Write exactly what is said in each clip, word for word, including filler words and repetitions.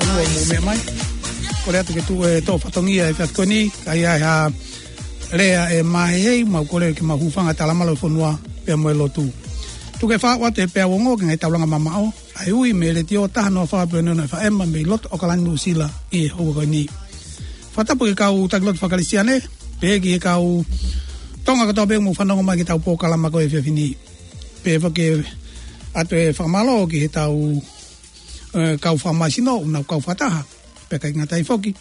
Fonua ʻoku mou meʻa mai. Kole atu ke tuʻu e tō fatongia he efiafi ko eni, ka ʻi ai ha lea ʻe māhehei, mau kole ke mau hūfanga he talamalu ʻo e fonua pea mo e lotu. Tuku ke u faʻu atu he peau ongo ki he ngaahi taulanga mamaʻo ʻa e ui mei he letiō taha noa fā poini ono F M mei loto ʻAokalani, Nuʻusila ʻi he houa ko eni. Fakatapu ki he kau taki lotu faka-Kalisitiane, pehē ki he kau Tonga kotoa pē ʻoku mou fanongo mai ki heʻetau polokalama ko e efiafi ni. Pehē foki atu e fakamālō ki heʻetau, ē, kau fakamāsino, ʻoku nau kau fakataha, pea ʻikai ngata ai foki,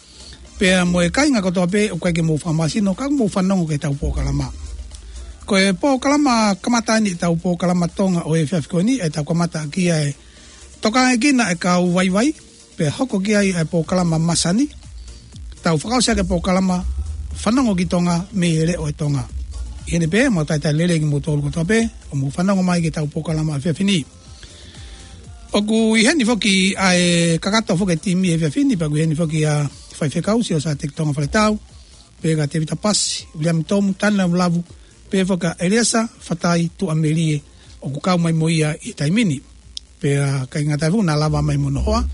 pea mo e kāinga kotoa pē ʻoku ʻikai ke mou fakamāsino, ka mou fanongo ki heʻetau polokalama. Ko e polokalama kamata eni ʻetau polokalama Tonga ʻo e efiafi ko eni, ʻetau kamata ʻaki ʻa e tokangaekina e kau vaivai, pea hoko ki ai e polokalama masani, tau fakaʻosi ʻaki e polokalama Fanongo ki Tonga mei he Leʻo ʻo Tonga. ʻI heʻene pehē, mau talitali lelei kimoutolu kotoa pē ʻoku mou fanongo mai ki heʻetau polokalama efiafi ni. ʻOku ʻi heni foki ʻa e kakato foki e timi he efiafi ni, pea ʻoku ʻi heni foki ʻa Faifekau Siosiua Teki Tonga Faletau, pea kia Tevita Pasi, Uliami Tomu, Tana Lavu, pea foki ʻa ʻEliesa Fatai Tuʻamelie, ʻoku kau mai mo ia ʻi he taimi ni. Pea ʻikai ngata ai foki naʻa lava mai mo hono hoa.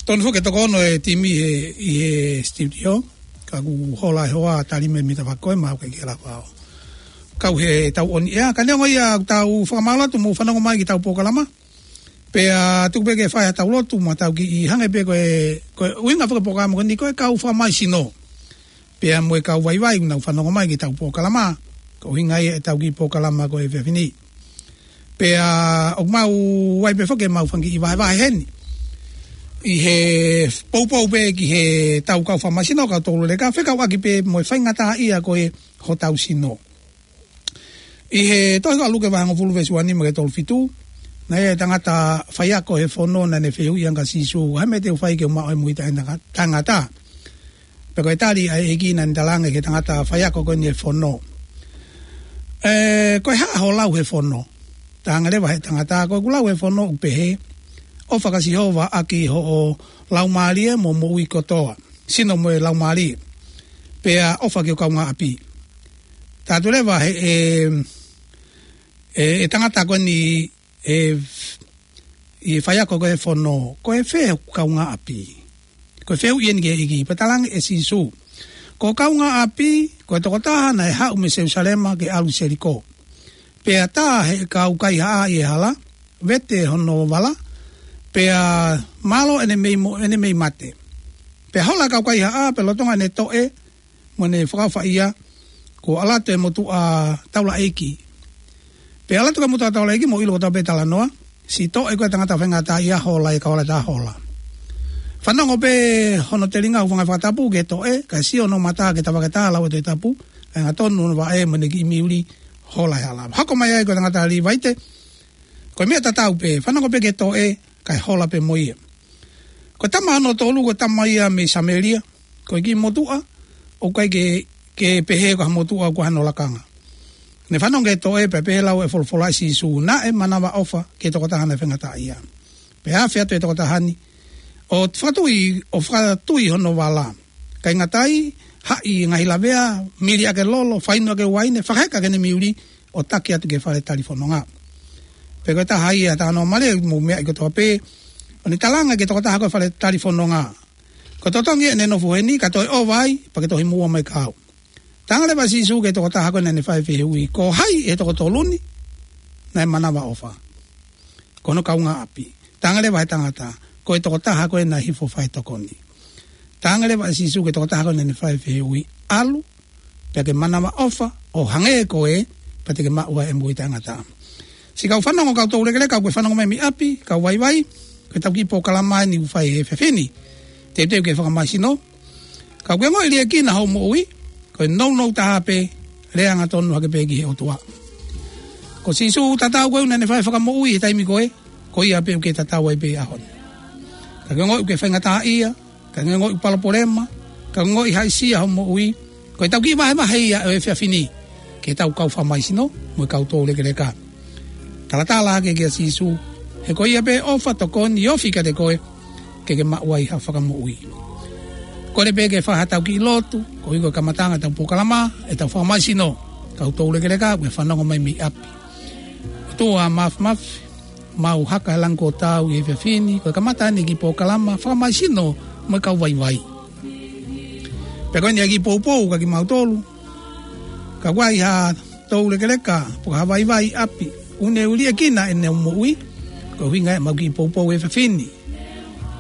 Tonu foki e toko ono e timi he, ʻi he studio, ka kuo hola e hoa, tali mai mita fakoe, mau ʻikai ke lava ʻo kau heʻetau ʻoni ea. Ka neongo ia, tau fakamālō atu mou fanongo mai ki heʻetau polokalama. Pea tuku pē ke fai haʻatau lotu, mo tau kiʻi hangē pē ko e, ko e ʻuhinga foki e polokalama ko eni ko e kau fakamāsino, pea mo e kau vaivai ʻoku nau fanongo mai ki heʻetau polokalama, ko e ʻuhinga ia ʻetau kiʻi polokalama ko e efiafi ni. Pea ʻoku mau ʻi ai pē foki ʻemau fanga kiʻi vahevahe heni ʻi he poupou pē ki heʻetau kau fakamāsino, kau toulekeleka, fekauʻaki pē mo e faingataʻaʻia ko ē hotau sino. ʻI he tohi ko Luke vahe hongofulu veesi uanima ki he tolufitu, naʻe ʻi ai e tangata faiako he fono naʻa ne fehuʻi ange kia Sīsū, ʻa e hā e meʻa te u fai ke u maʻu ai e moʻui taʻe-, taʻengata. Pea ko e tali ʻa e ʻEiki naʻa ne talaange ki he tangata faiako ko eni he fono, ē, ko e hā ho lau he fono? Talaange leva ʻe he tangata, ko ʻeku lau he fono ʻoku pehē, ʻofa kia Sihova ʻaki hoʻo laumālie mo e moʻui kotoa, sino mo e laumālie, pea ʻofa ki ho kaungāʻapi. Talaatu leva ʻe he, ʻe, ʻe, ʻe he tangata ko eni, ʻe, ʻi he faiako ko ē he fono, ko e fē hoku kaungāʻapi? Ko e fehuʻi eni ki he ʻEiki. Pea talaange ʻe Sīsū, ko ho kaungāʻapi ko e tokotaha naʻe haʻu mei Selusalema ke ʻalu ki Seliko, pea tā ʻe he kau kaihaʻa ʻi he hala, vete hono vala, pea mālō ʻene mei mo-, ʻene mei mate. Pea hola e kau kaihaʻa, pea lolotonga ʻene toʻe mo ʻene fakaʻofaʻi ia, kuo ʻalu atu e motuʻa taulaʻeiki. Pea ʻalu atu e motuʻa taulaʻeiki, mou ʻilo kotoa pē e talanoa, siʻi toʻe ko ē e tangata faingataʻaʻia, hola e kau hala, tā hola. Fanongo pē hono telinga, hūfanga he fakatapu ki he toʻe, kae sio hono mata ki he tavake tā, lau e Tohi Tapu, kae angatonu hono vaʻe mo ʻene kiʻi miuli, hola he hala. Hoko mai ai ko e tangata Līvaite, ko e meʻa tatau pē, fanongo pē ki he toʻe, kae hola pē mo ia. Ko e tama hono tolu, ko e tama ia mei Samēlia, ko e kiʻi motuʻa ʻoku ʻikai ke, ke pehē ko ha motuʻa ʻoku ʻi ai hano lakanga. Ne fanongo ki he toʻe pea pehē lau e folofola ʻa Sīsū, naʻe manavaʻofa ki he tokotaha naʻe faingataʻaʻia. Pea afe atu e tokotaha ni ʻo fakatui, ʻo fakatui hono vala. ʻIkai ngata ai, haʻi e ngaahi lavea, mili ʻaki e lolo, fainu ʻaki e uaine, fakaheka ʻaki ʻene miuli, ʻo taki atu ki he fale talifononga. Pea ko e taha ia e talanoa mālie ʻoku mou meaʻi kotoa pē, ʻo ne talaange ki he tokotaha ko ē he fale talifononga, ko e totongi ʻene nofo heni, ka toe ʻova ai, pea ke tohi muʻa mai kiate au. Talaange leva ʻe Sīsū ki he tokotaha ko ē naʻa ne fai e fehuʻi, ko hai ʻi he toko tolu ni naʻe manavaʻofa? Ko hono kaungāʻapi. Talaange leva ʻe he tangata, ko e tokotaha ko ē naʻe hifo ʻo fai e tokoni. Talaange leva ʻe Sīsū ki he tokotaha ko ē naʻa ne fai e fehuʻi, ʻalu, pea ke manavaʻofa ʻo hangē ko ē, pea te ke maʻu ai e moʻui taʻengata. Siʻi kau fanongo, kau toulekeleka, ʻoku ke fanongo mai mei ʻapi, kau vaivai, ko ʻetau kiʻi polokalama eni ʻoku fai he efiafi ni. Teuteu ke fakamāsino, ka ʻoku ke ongoʻi liʻekina hoʻo moʻui, ko e nounou taha pē, lea angatonu hake pē ki he ʻOtua. Ko Sīsū tatau ko ē naʻa ne fai e fakamoʻui he taimi ko ē, ko ia pē ʻoku ke tatau ai pē he ʻaho ni. Ka ke ongoʻi ʻoku ke faingataʻaʻia, ka ke ongoʻi palopalema, ka ke ongoʻi haʻisia hoʻo moʻui, ko ʻetau kiʻi vahevahe ia ʻo e efiafi ni ki heʻetau kau fakamāsino mo e kau toulekeleka. Talatala hake kia Sīsū, he ko ia pē ʻofa, tokoni, ofi kiate koe, ke ke maʻu ai ha fakamoʻui. Kole pē ke fai haʻatau kiʻi lotu, koeʻuhi ko e kamataʻanga ʻetau polokalama, ʻetau fakamāsino, kau toulekeleka, ʻoku ke fanongo mai mei ʻapi. ʻOtua Māfimafi, Mau haka he langi kuo tau ʻi he efiafi ni, ko e kamata eni e kiʻi polokalama fakamaisino mo e kau vaivai. Pea ko eni ʻa e kiʻi poupou kia kimautolu. Kapau ʻoku ʻi ai ha toulekeleka, pe ko ha vaivai ʻi ʻapi, ʻoku ne liʻekina ʻene moʻui, ko e ʻuhinga ia ʻemau kiʻi poupou he efiafi ni.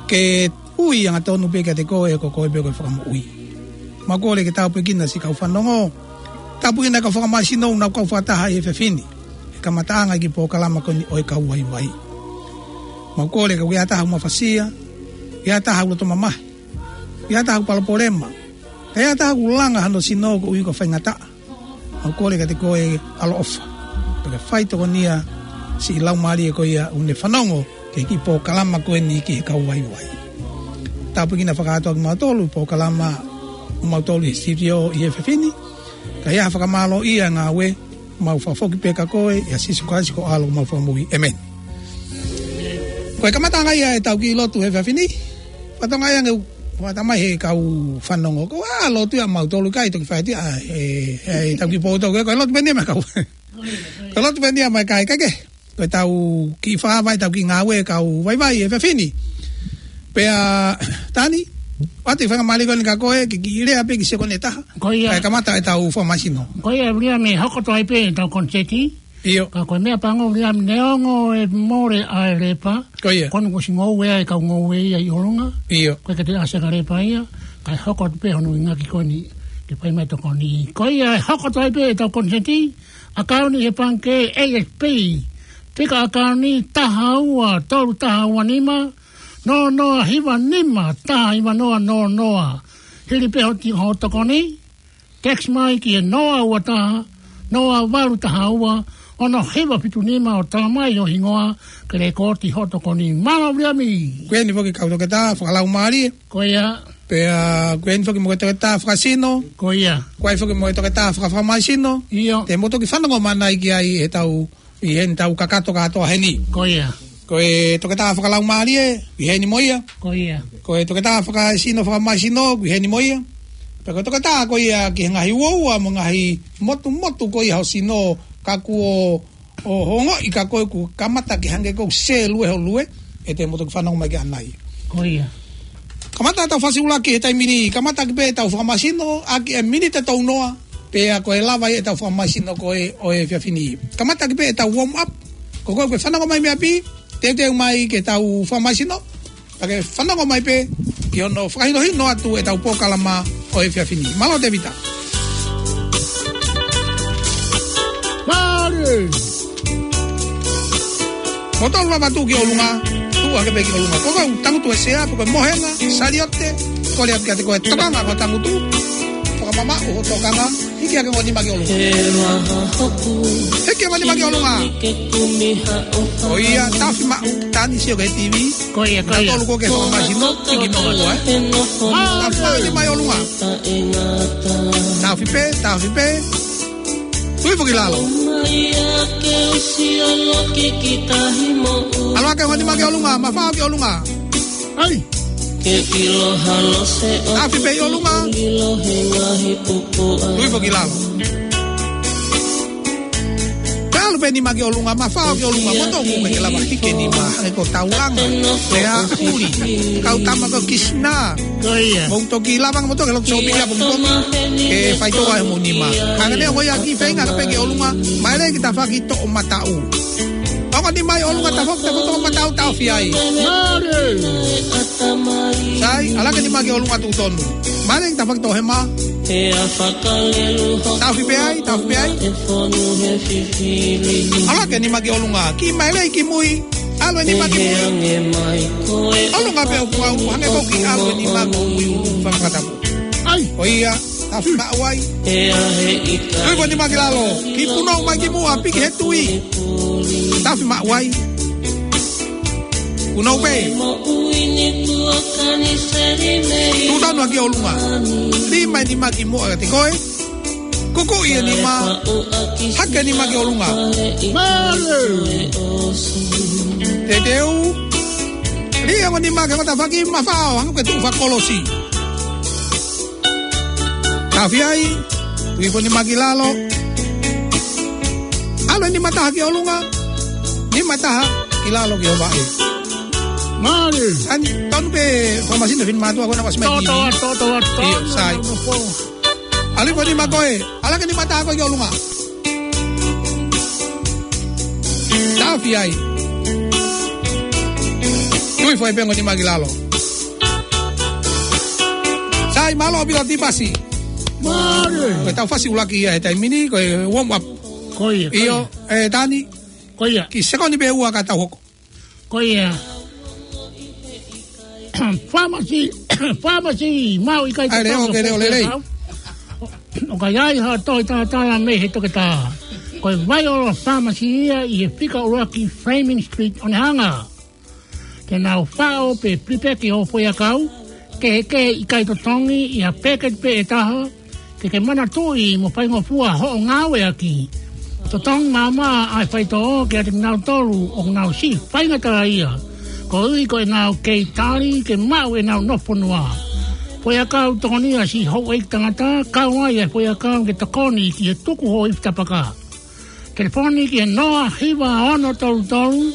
Ke ui angatonu pē kiate koe, ko koe pē ko e fakamoʻui. Mau kole ke tāpuekina siʻi kau fanongo. Tāpuekina kau fakamaisino ʻoku nau kau fakataha ʻi he efiafi ni he kamataʻanga e kiʻi polokalama ko eni ʻo e kau vaivai. Mau kole ka ʻoku ʻi ai ha taha ʻoku mafasia, ʻi ai ha taha ʻoku loto mamahi, ʻi ai ha taha ʻoku palopalema, ʻi ai ha taha ʻoku langa hano sino koeʻuhi ko e faingataʻa. Mau kole kiate koe ʻaloʻofa, pea ke fai tokonia siʻi laumālie ko ia ʻoku ne fanongo ki he kiʻi polokalama ko eni ki he kau vaivai. Tāpuekina fakakātoa kimautolu he polokalama ʻomautolu ʻi he sitiō ʻi he efiafi ni. Ka ʻi ai ha fakamālō ʻi he ngāue, mau fakafoki pē kia koe, ʻia Sīsū Kalaisi ko ho ʻAlo mo homau Fakamoʻui. ʻĒmeni. Ko e kamataʻanga ia ʻetau kiʻi lotu he efiafi ni. Fatongia ange ʻoku fakatamai he kau fanongo. Ko e lotu ia ʻamautolu, ʻikai toki fai atu ia ʻe, ʻe, ʻe tau kiʻi poutau ke, ko e lotu pē eni ia mo e kau. Ko e lotu pē eni ia mo e kakai ke. Ko ʻetau kiʻi fakavaʻe, ʻetau kiʻi ngāue kau vaivai he efiafi ni. Pea, Tani, ʻoatu e faingamālie ko eni kia koe, ke kiʻi lea pē ki he sekoni ʻe taha. Ko ia. Kae kamata ʻetau fakamaisino. Ko ia, Viliami, hoko atu ai pē ʻetau koniseti. ʻIo. Ka ko e meʻa pango, Viliami, neongo e mole ʻa e lepa. Ko ia. Ko eni kuo ʻosi ngoue ʻa e kau ngoue ia ʻi ʻolunga. ʻIo. Ko e ke te ʻasi ʻa e lepa ia. Kae hoko atu pē hono ngāueʻaki ko eni ke fai mai e tokoni. Ko ia, ʻe hoko atu ai pē ʻetau koniseti. ʻAkauni he pangikē A S P. Fika ʻakauni taha ua tolu taha ua nima, noa noa hiva nima, taha hiva noa noa noa. Hili pē hoʻo ti-, hoʻo tokoni, text mai ki he noa ua taha, noa valu taha ua, ono hiva fitu nima ʻo tala mai ho hingoa, ke lēkooti hoʻo tokoni. Mālō Viliami. Ko eni foki kau toketā fakalaumālie. Ko ia. Pea ko eni foki mo e toketā fakasino. Ko ia. Ko eni foki mo e toketā fakafakamaisino. ʻIo. Te mou toki fanongo mai ki ai heʻetau, ʻi heʻetau kakato kātoa heni. Ko ia. Ko e toketā fakalaumālie, ʻi heni mo ia. Ko ia. Ko e toketā fakasino fakamaisino, ʻi heni mo ia. Pea ko e toketā ko ia ki he ngaahi uaua mo e ngaahi motumotu ko ia ho sino, ka kuo ʻo hongoʻi kia koe kuo kamata ke hangē ʻoku sēlue ho lue, ʻe te mou toki fanongo mai ki ai. Ko ia. Kamata ʻetau fasi ʻuluaki he taimi ni, kamata ʻaki pē ʻetau fakamaisino, ʻaki e miniti ʻe tolu noa, pea ko e lava ia ʻetau fakamaisino ko ē ʻo e efiafi ni. Kamata ʻaki pē ʻetau warm up, ko koe ʻoku ke fanongo mai mei ʻapi, teuteu mai ke tau fakamaisino, pea ke fanongo mai pē ki hono fakahinohino atu ʻetau polokalama ʻo e efiafi ni. Mālō Tēvita. Mālō. Mou tolu lava tuʻu ki ʻolunga, tuʻu hake pē ki ʻolunga. Ko koe ʻoku tangutu he sea, pe ko e mohenga, saliote, kole atu kiate koe tokanga ko e tangutu, fakamamaʻu hoʻo tokanga, hiki hake hoʻo nima ki ʻolunga. Hiki hoʻo nima ki ʻolunga. Ko ia, taʻofi maʻu, Tani, sio ki he T V. Ko ia, ko ia. Tolu ko ke fakamaisino, hiki noa ua, ē. Taʻofi maʻu e nima ʻi ʻolunga. Taʻofi pē, taʻofi pē. Tui foki lalo. ʻAlu hake hoʻo nima ki ʻolunga, mafao ki ʻolunga. ʻAi. Taʻofi pē ʻi ʻolunga. Tui foki lalo. Pea ʻalu pē nima ki ʻolunga, mafao ki ʻolunga, mo toku ke lava hiki e nima, hangē ko Taulanga, Lea ʻuli, kau tama ko Kisina. Ko ia. Mou toki lava mo toki loto sōpili ʻapongipongi, ke faitoʻo ai hoʻomou nima. Hangē ko ia kiʻi feinga ka pē ki ʻolunga, mai lei ki tafaʻaki toʻomataʻu. Ongo nima ʻi ʻolunga, tafaʻaki, tafaʻaki toʻomataʻu, taʻofi ai. Mālō. Sai, ʻalu hake nima ki ʻolunga tuʻu tonu. Mai lei ki tafaʻaki toʻohema. Taʻofi pē ai, taʻofi pē ai. ʻAlu hake nima ki ʻolunga. Kiʻi mai lei ki mui. ʻAlu e nima ki mui. ʻOlunga pē ʻoku ngau, hangē ko e kiʻi ʻalu e nima ko mui ʻulu fakatapu. ʻAi. Ko ia, taʻofi maʻu ai. Tui ko e nima ki lalo. Kiʻi punou mai ki muʻa, piki he tui. Taʻofi maʻu ai. Punou pē. Tuʻu tonu hake ki ʻolunga. Lima e nima ki muʻa kiate koe. Kukuʻi e nima. Hake e nima ki ʻolunga. Mālō. Teuteu. Lī e ongo nima ki he tafaʻaki, mafao, hangē ko e tuʻu fakakolosi. Taʻofi ai. Tui ko e nima ki lalo. ʻAlu e nima ʻe taha ki ʻolunga. Nima ʻe taha. ʻi lalo ki ʻo vaʻe. Mālie. Sai, tonu pē fakamasino fini mātuʻa ko ena ʻoku ʻosi mai. Toto, toto, toto. ʻIo, sai. ʻAlu ko e nima ko ē, ʻalu ko e nima tā ko ē ki ʻolunga. Tafi ai. Tui foʻi pē ko e nima ki lalo. Sai, mālō ʻaupito Tipasi. Mālie. Ko ʻetau fasi ʻuluaki ia he taimi ni, ko e warm up. Ko ia, ko ia. ʻIo, ē, Tani. Ko ia. Kiʻi sekoni pē ua ka tau hoko. Ko ia. Pharmacy, pharmacy, mau ʻikai te ʻAi, leo, tau ke leo, lelei. ʻOku ʻi ai ha toe talatala mei he toketā. Ko e Viola Pharmacy ia ʻi he fika ʻuluaki Flaming Street ʻo Onehunga. Te nau faʻo pe pilipeki hoʻo foʻiʻakau, kehekehe ʻikai totongi ʻi ha peketi pē ʻe taha, ke ke manatuʻi mo faingofua hoʻo ngāueʻaki. Totongi maʻamaʻa ʻa e faitoʻo kiate kinautolu ʻoku nau siʻi faingataʻaʻia, koeʻuhi ko ʻenau kei tali ke maʻu ʻenau nofo fonua. Foʻiʻakau tokonia siʻi houʻeiki tangata, kau ai ʻa e foʻiʻakau ke tokoni ki he tuku hoʻo ifi tapaka. Telefoni ki he noa hiva ono tolu tolu,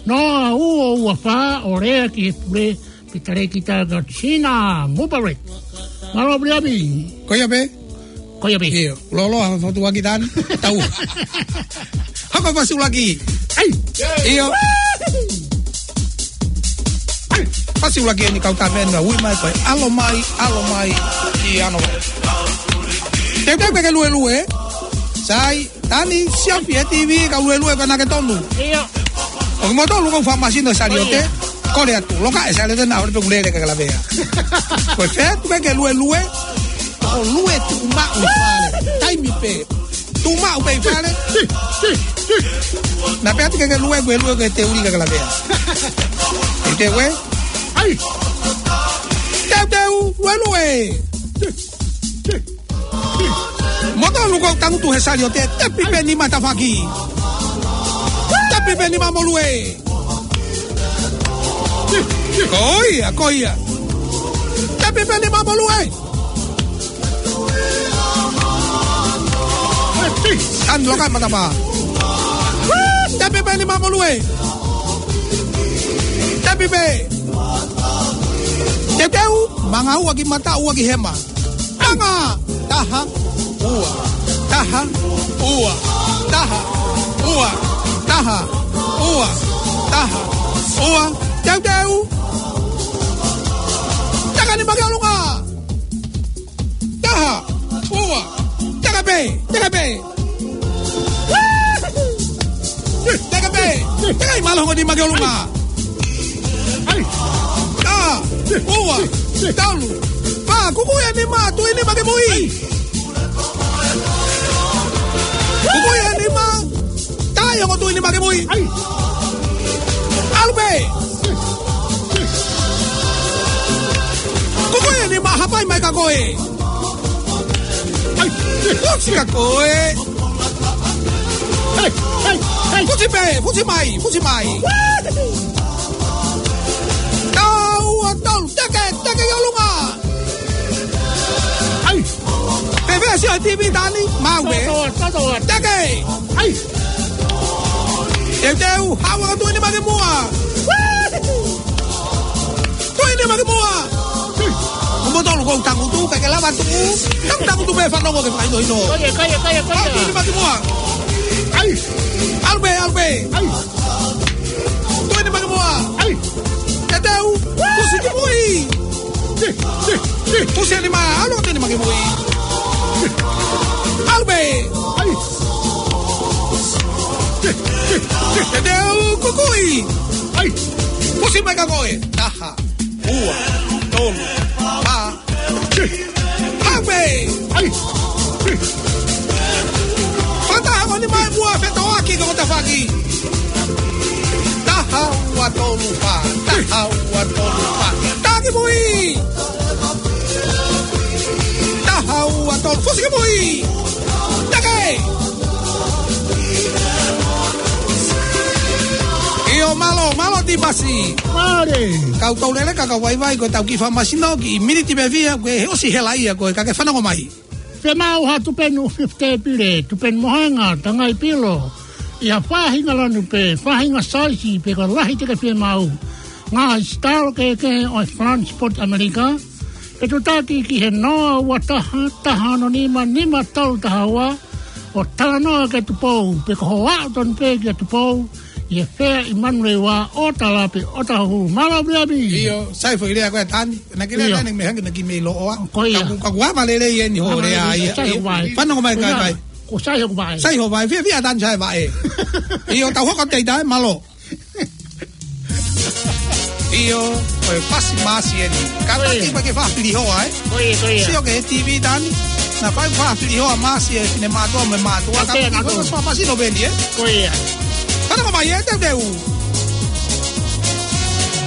noa ua ua fā, ʻo lea ki he pule, pe talēkita kia Sina Mubarak. Mālō Piliami. Ko ia pē? Ko ia pē. ʻIo, loloa, fotu waki Tani. Tau. Hoko fasi ʻuluaki. ʻAi. ʻIo. ʻAi. Fasi ʻuluaki eni kau tā mena, ui mai ko e ʻAlo Mai, ʻAlo Mai, ʻi ano. Teuteu ke ke luelue. Sai. Tani, siofi e TV, ka luelue ka naʻa ke tonu. ʻIo. ʻOku mo tonu ko e fakamasino Saliote. ʻIo. Kole atu, loka e Saliote naʻa ʻoku pē kulele ka ke lavea. Ko e fē atu ke ke luelue. ʻO lue tuʻu maʻu ʻi fale. Taimi pē. Tuʻu maʻu pē ʻi fale. Naʻa pē atu ke ke lue, ke lue ke te uli ka ke lavea. Teuteu. ʻAi. Teuteu, luelue. Mo tonu ko e tangutu he Saliote, tepi pē nima tafaʻaki. Tepi pē nima mo lue. Ko ia, ko ia. Tepi pē nima mo lue. An loka matapā. Tepi pē nima mo lue. Tepi pē. Teuteu, manga ua ki mata, ua ki hema. Manga, taha, ua, taha, ua, taha, ua, taha, ua, taha, ua. Teuteu. Taka nima ki ʻolunga. Taha, ua, taka pē, taka pē. Taka pē, taka ʻi mālō hongo nima ki ʻolunga. ʻAi. Taha, ua, tolu, fā, kuku e nima, tui nima ki mui. Kuku e nima, tai hongo tui nima ki mui. ʻAi. ʻAlu pē. Kuku e nima, hapai mai ka ko ē. ʻAi. Fusi ka ko ē. Hei, hei, hei. Fusi pē, fusi mai, fusi mai. Taha ua tolu, teke, teke ki ʻolunga. ʻAi. Pē pē sio TV Tani, mau ē. Toto, toto. Teke. ʻAi. Teuteu, hawa tui nima ki muʻa. Tui nima ki muʻa. Mo tonu ko e tangutu, ka ke lava tuʻu. Tangutu pē fanongo ke fakahinohino. Ko ia, ko ia, ko ia, ko ia. Tui nima ki muʻa. ʻAi. ʻAlu pē, ʻalu pē. ʻAi. Tui nima ki muʻa. ʻAi. Teuteu, fusi ki mui. Fusi e nima, ʻalu tui nima ki mui. ʻAlu pē. ʻAi. Teuteu, kuku ʻi. ʻAi. Fusi mai ka ko ē. Taha, ua, tolu, fā. Hape. ʻAi. Fakataha mo e nima ʻi muʻa, fetoʻaki ko e tafaʻaki. Taha ua tolu fā. Taha ua tolu fā. Taki mui. Taha ua tolu. Fusi ki mui. Take. ʻIo, mālō, mālō Tipasi. Mālō. Kau tau lele ka kau vaivai ko e tau kiʻi fakamasino kiʻi miniti pē fiha, ko e he ʻosi hela ia ko e ka ke fanongo mai. Fiemaʻu ha tupenu fifty pile, tupenu mohenga, tangai pilo. ʻI ha faʻahinga lanu pē, faʻahinga saisi pe ko e lahi te ke fie maʻu. Ngaahi sitalo kehekehe ʻo e Flying Spot ʻAmelika. Fetuʻutaki ki he noa ua taha, taha ono nima, nima tolu taha ua. ʻO talanoa ki he Tupou, pe ko hoʻo aʻu tonu pē ki he Tupou, ʻi he fea ʻi Manurewa, ʻo tala pē ʻo taha hū. Mālō Viami. ʻIo, sai foʻi lea ko ē Tani. Naʻa ke lea ʻIo. Tani mei hangē naʻa ke mei loʻo ā. Ko ia. Ka ku, ka ku ava lelei eni hoʻo lea ia. Sai hoʻo vaʻe. Fanongo mai kai kai. Ko sai hoʻo vaʻe. Sai hoʻo vaʻe, fiefia Tani sai vaʻe. ʻIo, tau hoko atu ai, mālō. ʻIo, ko e fasi māsi eni. Ka taki mai ke fafili hoa, ē? Ko ia, ko ia. Sio ki he T V Tani. Naʻa fai fafili hoa māsi ē, fine mātuʻa mo e mātuʻa. Ka taki ko e fasi māsi no veni, ē? Ko ia. Fanongo mai ē, Teuteu.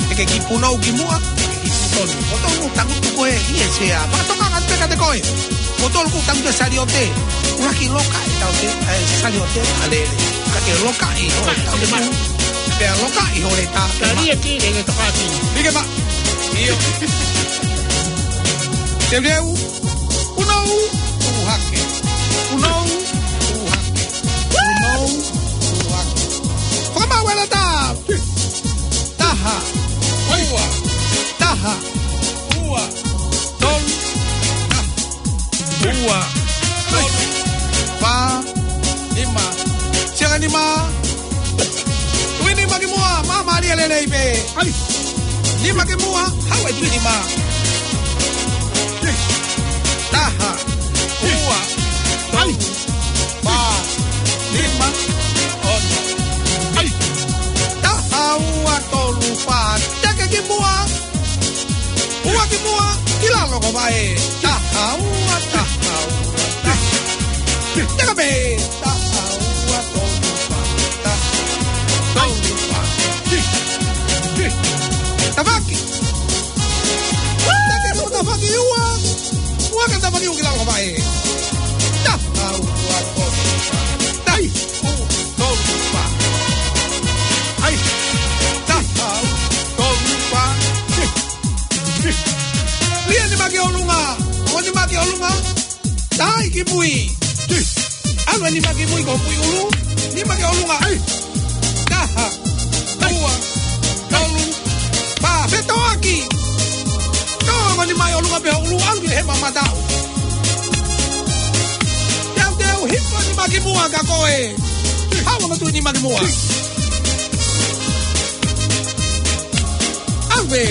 ʻE ke kiʻi punou ki muʻa, ʻe ke kiʻi punou. Ko tonu tangutu ko ē ʻi he sea. Fakatokanga atu pē kiate koe. Ko tonu kuo tangutu e saliote. ʻUluaki loka ʻe tau te, ʻe saliote ʻa lele. Ka ke loka ʻi ho tau. Pea loka ʻi ho leta. Ka lia ki le le tokaki. Like ma. ʻIo. Teuteu. Punou, tuʻu hake. Punou, tuʻu hake. Punou, tuʻu hake. Fakamaau e lata. Taha, ua, taha, ua, tolu, taha, ua, tolu, fā, nima. Siʻanga nima. Tui nima ki muʻa, māmālie lelei pē. ʻAi. Nima ki muʻa, haʻu e tui nima. Taha, ua, tolu, fā, nima, ono. ʻAi. Taha, ua, tolu, fā, teke ki muʻa. Ua ki muʻa, ʻi lalo ko vaʻe. Taha, ua, taha, ua, taha. Teka pē. Taha, ua, tolu, fā, taha, tolu, fā. Tafaki. Teke ko tafaki ua. Ua ke tafaki ua ki lalo ko vaʻe. Taha, ua, tolu, fā. Taha, ua, tolu, fā. ʻAi. Taha, ua, tolu, fā. Lia nima ki ʻolunga. Ko nima ki ʻolunga. Taha ki mui. ʻAlu e nima ki mui ko mui ʻulu. Nima ki ʻolunga. ʻAi. Taha, ua, tolu, fā. Fetoʻaki. Tō mo nima ʻi ʻolunga pē ʻulu. ʻAlu ki he mamata. Teuteu, hipo nima ki muʻa kia koe. Haʻu mo tui nima ki muʻa. ʻAve.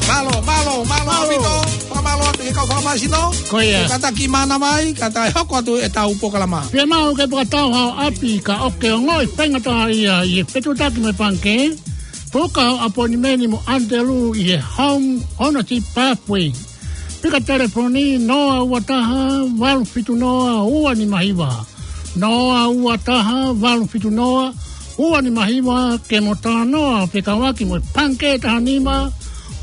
Mālō, mālō, mālō, mālō. ʻAupito. Fakamālō atu ki he kau fakamāsino. Ko ia. Kātaki mana mai, kātaki hoko atu ʻetau polokalama. Pea mau ke fakatau hao ʻapi ka ʻoku ke ongoʻi faingataʻaʻia ʻi he fetuʻutaki mo e pangikē. Puka ho ʻapoinimeni mo ʻAnitelū ʻi he Home Ownership Pathway. Pika telefoni noa ua taha, valu fitu noa, ua nima hiva. Noa ua taha, valu fitu noa, ua nima hiva, ke mo talanoa fekauʻaki mo e pangikē taha nima,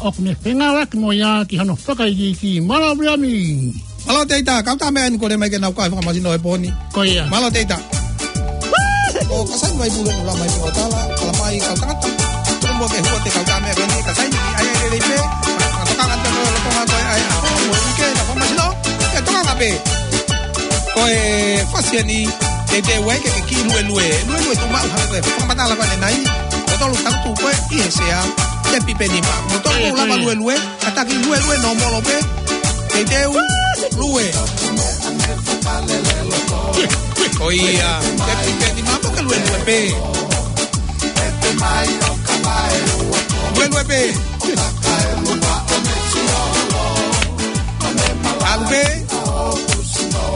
ʻoku ne fengāueʻaki mo ia ki hono fakaikiiki. Mālō Viami. Mālō Teita, kau tā meʻa eni kole mai ke nau kai fakamāsino he pō ni. Ko ia. Mālō Teita. ʻO ka sai mai pule nula mai pō tala, tala mai kau tangata. Tō mo ke hua te kau tā meʻa eni, ka sai ni ai ai lelei pē. Ka tokanga te mo lo tonga ko ai ai. Mo ike na fakamāsino. Ke tokanga pē. Ko e fasi eni, te te wai ke ke kiʻi luelue. Luelue tu mau hake ko e fakamatala ko eni nai. Ko tolu tau tu ko e ʻi he sea. Te pipe nima. Mo tolu lava luelue. Kātaki luelue nōmolo pē. Teiteu, lue. Ko ia, te pipe nima mo ke luelue pē. Luelue pē. ʻAlu pē.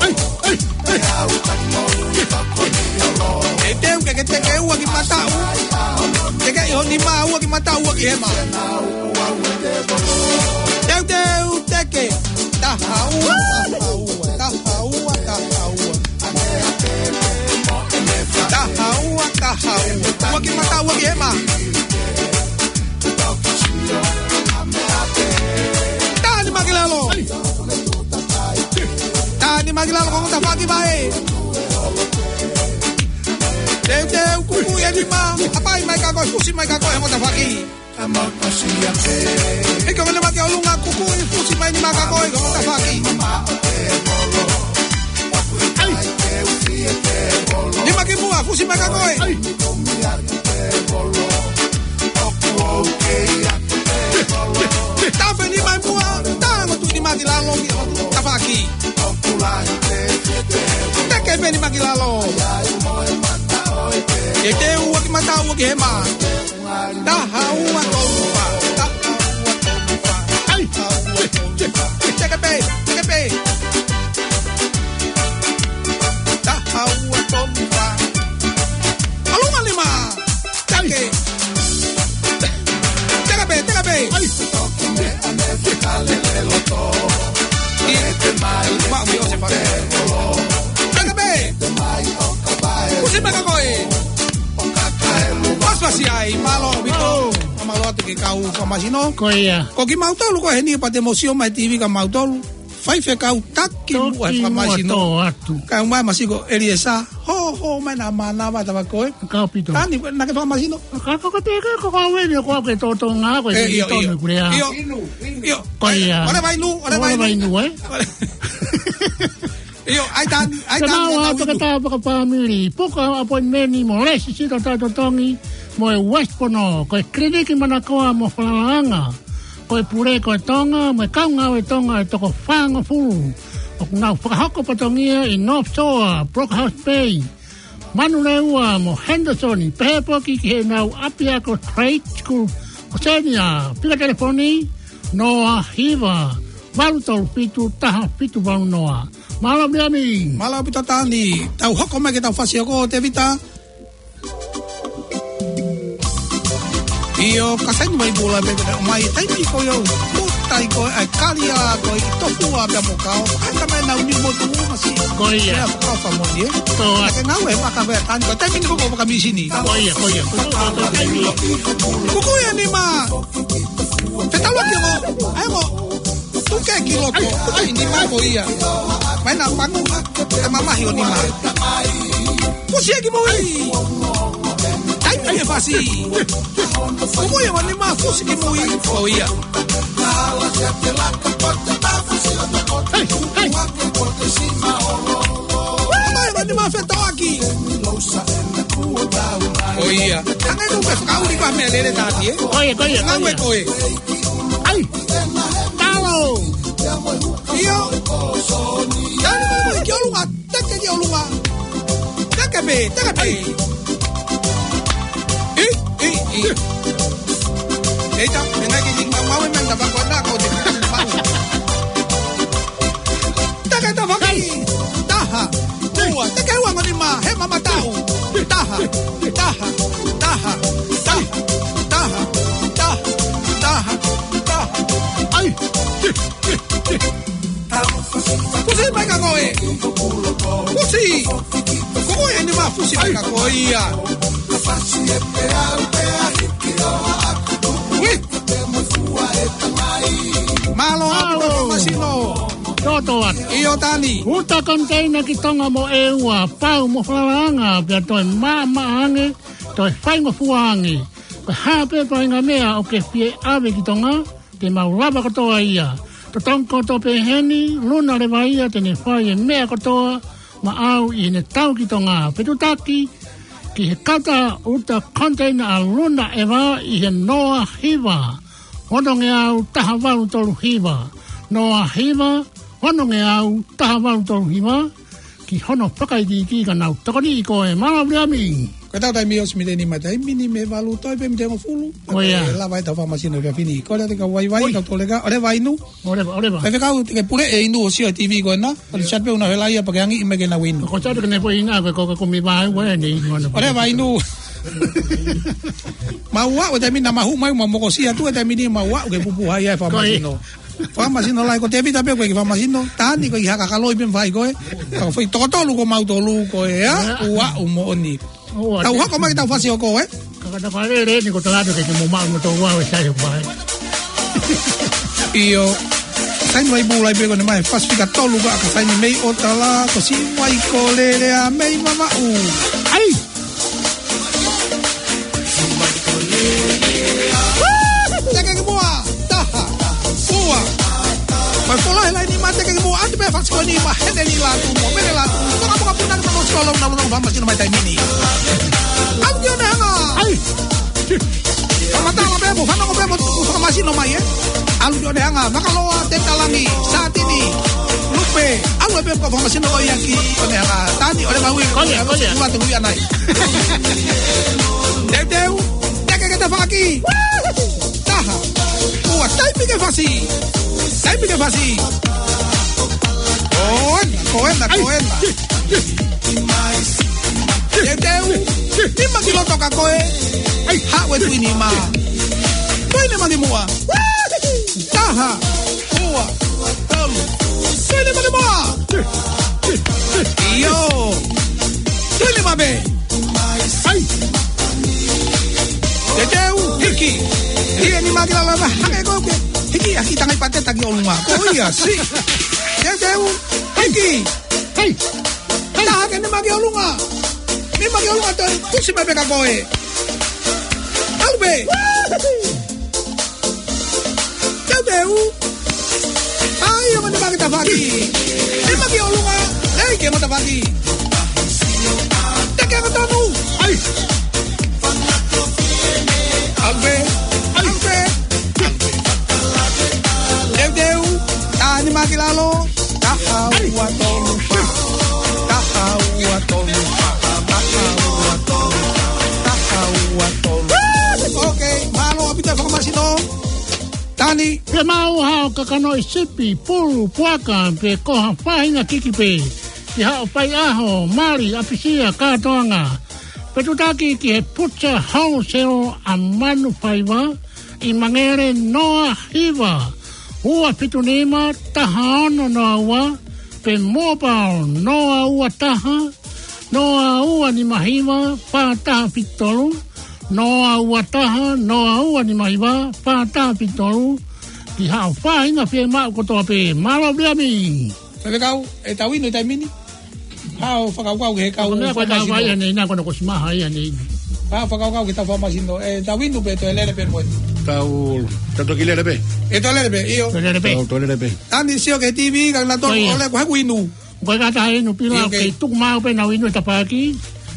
Ai, ai, ai. Teiteu ke ke teke ua ki mataʻu. Teke ʻi ho nima ua ki mataʻu ua ki hema. Teuteu teke. Taha ua, taha ua, taha ua, taha ua. Taha ua, taha ua. Ua ki mataʻu ua ki hema. Taha nima ki lalo. Taha nima ki lalo ko e tafaʻaki vaʻe. Teuteu kuku ia nima. Hapai mai ka ko e fusi mai ka ko e mo tafaʻaki. Hiki o nima ki ʻolunga kuku ʻi fusi mai nima ka ko e ko e mo tafaʻaki. Ai. Nima ki Siʻi mai ka koe. Ai. Tafe ni mai mua, tango tu ni mati la longi, tafaki. Teke pē ni maki lalo. E te ua ki mata ua ki hema. Taha ua tolu fā. Taha ua tolu fā. Ai. Teke pē, teke pē. Taha ua tolu fā. ʻAlu mai lima. Teke. Teke pē, teke pē. Ai. Maʻu mi o se pake. Teke pē. Kusi maka koe. Pasipasi ai, mālō ʻaupito. Mālō atu ki he kau fakamasino. Ko ia. Ko kimautolu ko eni pea te mou sio mai he T V kimautolu. Faifekau taki muʻa he fakamasino. Toki muʻa tō atu. Kae ʻumaʻā e masiko ʻEliesa. Ho, ho, mai na mana mai tava koe. Ka ʻaupito. Tani, naʻa ke fakamasino. Ka ko ka te ka ko ka weni ko ke tō tō ngā ko e ʻio, ʻio. Inu, inu. ʻIo. Ko ia. ʻOle vai nu, ʻole vai nu. ʻOle vai nu, ē? ʻIo, ʻai Tani, ʻai Tani, ʻai Tani. Ke mau atu ke tā fakapāmili. Puka appointment mo lesi sita tā totongi mo e West Pono. Ko e kiliniki manakoa mo falalaʻanga. Ko e pule ko e Tonga, mo e kaungāue Tonga ʻe toko fāngofulu. ʻOku nau fakahoko fatongia ʻi North Shore, Brokhouse Bay, Manurewa mo Henderson, pehē foki ki heʻenau ʻapiako trade school. Ko eni ʻa e fika telefoni, noa hiva, valu tolu fitu, taha fitu valu noa. Mālō Miami. Mālō ʻaupito Tani. Tau hoko mai ki he tau fasi hoko Tevita. ʻIo, ka saini mai pula pē, mai taimi ko ia, mutai ko e kalia ko e tofua pea mo kao, ʻai ka mai nau ni mo tu masi. Ko ia. Pea ko famo ni, ē? Ko ia. Ke ngau e maka pē Tani, ko taimi ni ko ko maka misini. Ko ia, ko ia. Ko ia, ko ia. Kuku ia ni ma. Fetaulaki mo, ʻai mo. Tuke ki loto, ai, ni ma ko ia. Mai na pangu, e mamahi ʻo ni ma. Fusi ki mui. Taimi e fasi. Kuku ia ni ma fusi ki mui. Ko ia. Hei, hei. Mai ni ma fetaulaki. Ko ia. Tangai tu pe fakauli pa me lele tati, ē? Ko ia, ko ia, ko ia. Ngau e koe. Ai. Talo. ʻIo. Tani mo ki ʻolunga. Teke ki ʻolunga. Teke pē, teke pē. ʻI, ʻi, ʻi. Eita, me ngai ki mau mau e menda pa ko na ko te mau. Teke tafaki. Taha. Ua. Teke ua ngoni ma. He mama tau. Taha. Taha. Taha. Taha. Ai. Fusi mai ka koe. Fusi. Ko koe eni ma fusi mai ka koe ia. Ui. Mālō ʻaupito, mālō. Masino. Toto atu. ʻIo Tani. Uta konteina ki Tonga mo ʻEua, pau mo falalaʻanga, pea toe maʻamaʻa ange, toe faingofua ange. Ko e hā pē faʻahinga meʻa ʻoku ke fie ʻave ki Tonga, te mau lava kotoa ia. Totongi kotoa pē heni, Luna Leva ia te ne fai e meʻa kotoa maʻau ʻi heʻene tau ki Tonga. Fetuʻutaki ki he kata uta konteina ʻa Luna Eva ʻi he noa hiva, ono ngeau taha valu tolu hiva. Noa hiva, ono ngeau taha valu tolu hiva. Ki hono fakaikiiki ka nau tokoniʻi koe. Mālō Viliami. Ko e tau taimi ʻosi mei he ni ma taimi ni mei he valu toe pē mei he hongofulu. Ko ia. Lava e tau fakamasino ka fini. Ko lea te ka vaivai, ka toleka, ʻoua leva inu. ʻOua leva, ʻoua leva. Faifekau te ke pule e inu ʻo sio he T V ko ena. ʻOua leva siat pē una hela ia pea ke angi ʻi mai ke nau inu. Ko siat ke ne poi ina, ko, ko, ko mi vai, ue, ne inu ana. ʻOua leva inu. Mau ua, ʻo taimi na mahu mai, mau mokosia tu, ʻo taimi ni mau ua, ʻo ke pupu hai ai fakamasino. Ko ia. Fakamasino lai, ko Tevita pē ko e kiʻi fakamasino, Tani ko e kiʻi haka kaloi pē fai ko ē. Ka ko e foʻi toko tolu ko mautolu ko ē, ʻa? ʻIo. Ua ʻo moʻoni. ʻOua. Tau hoko mai ki he tau fasi hoko, ē? Ka ka tau fale lele ni ko tala ke ke mo maʻu mo tau ua ʻo sai ʻo fai. ʻIo. Saini mai pula pē ko eni mai, fasi fika tolu ka ka saini mei ʻo tala, ko Siʻi Vai ko Lele ʻa mei Mamaʻu. ʻAi! Teke ki muʻa, taha, ua. Ko Ko e lahi laini mate ke mo atu pē fasi ko eni ma hene ni la tu mo mene la tu. Ko ka mo ka puna ke mo solo na lo famasino mai taimi ni. ʻAlu ki ʻo ne hanga. ʻAi. Ka mata la pē mo fana ko pē mo famasino mai ē. ʻAlu ki ʻo ne hanga. Makaloa, Tetalangi, Satini, Lupe. ʻAlu pē mo famasino ko ia ki ʻo ne hanga. Tani ʻo ne maui. Koia, koia. Ua te ui anai. Teuteu. Teke ke tafaki. Taha. Ua, taimi ke fasi. Taimi ke fasi. Ko ena, ko ena, ko ena. Teuteu. Nima ki loto ka ko e. ʻAi, haʻu e tui nima. Tui nima ki muʻa. Taha. Ua. Tolu. Tui nima ki muʻa. ʻIo. Tui nima pē. ʻAi. Teuteu, hiki. Hiki e nima ki lalo, hangē ko e hiki, hiki tangai pateta ki ʻolunga. Ko ia, si. Teuteu, hiki. ʻAi. ʻAi. Taha ke nima ki ʻolunga. Nima ki ʻolunga, toe tusi mai pē ka ko e. ʻAlu pē. Teuteu. ʻAi, ʻo mani maki tafaki. Nima ki ʻolunga. ʻEi, ke mo tafaki. Teke angatonu. ʻAi. ʻAlu pē. ʻAlu pē. Teuteu. Taha nima ki lalo. Taha ua tolu fā. Taha ua tolu fā. Taha ua tolu fā. Taha ua tolu fā. Ok, mālō ʻaupito e fakamasino. Tani. Pea maʻu haʻo kakano ʻi sipi, pulu, puaka, pe ko ha faʻahinga kiki pē. Ki haʻo faiʻaho, mali, ʻapisia, kātoanga. Pe tutaki ki he Pucha Wholesale ʻa Manufaiva, ʻi Mangere noa hiva, ua fitu nima, taha ono noa ua, pe mobile noa ua taha, noa ua nima hiva, fā taha fitu tolu, noa ua taha, noa ua nima hiva, fā taha fitu tolu, ki haʻo faʻahinga fiemaʻu kotoa pē. Mālō Viliami. Faifekau, ʻe tau inu taimi ni. Haʻo fakakaukau ki he kau. Ko e meʻa ko e kau fakamasino. Ia nei, na ko na ko simaha ia nei. Haʻo fakakaukau ki he kau fakamasino. ʻE tau inu pē toe lele pē mo. Tau, tau toki lele pē. ʻE toe lele pē, ʻio. Toe lele pē. Tau toe lele pē. Tani sio ki he T V, ka na tau. Ko ia. Ole ko haku inu. Ko e kata inu pila, ʻio, ok. Kei tuku maʻu pē nau inu e tapaʻaki.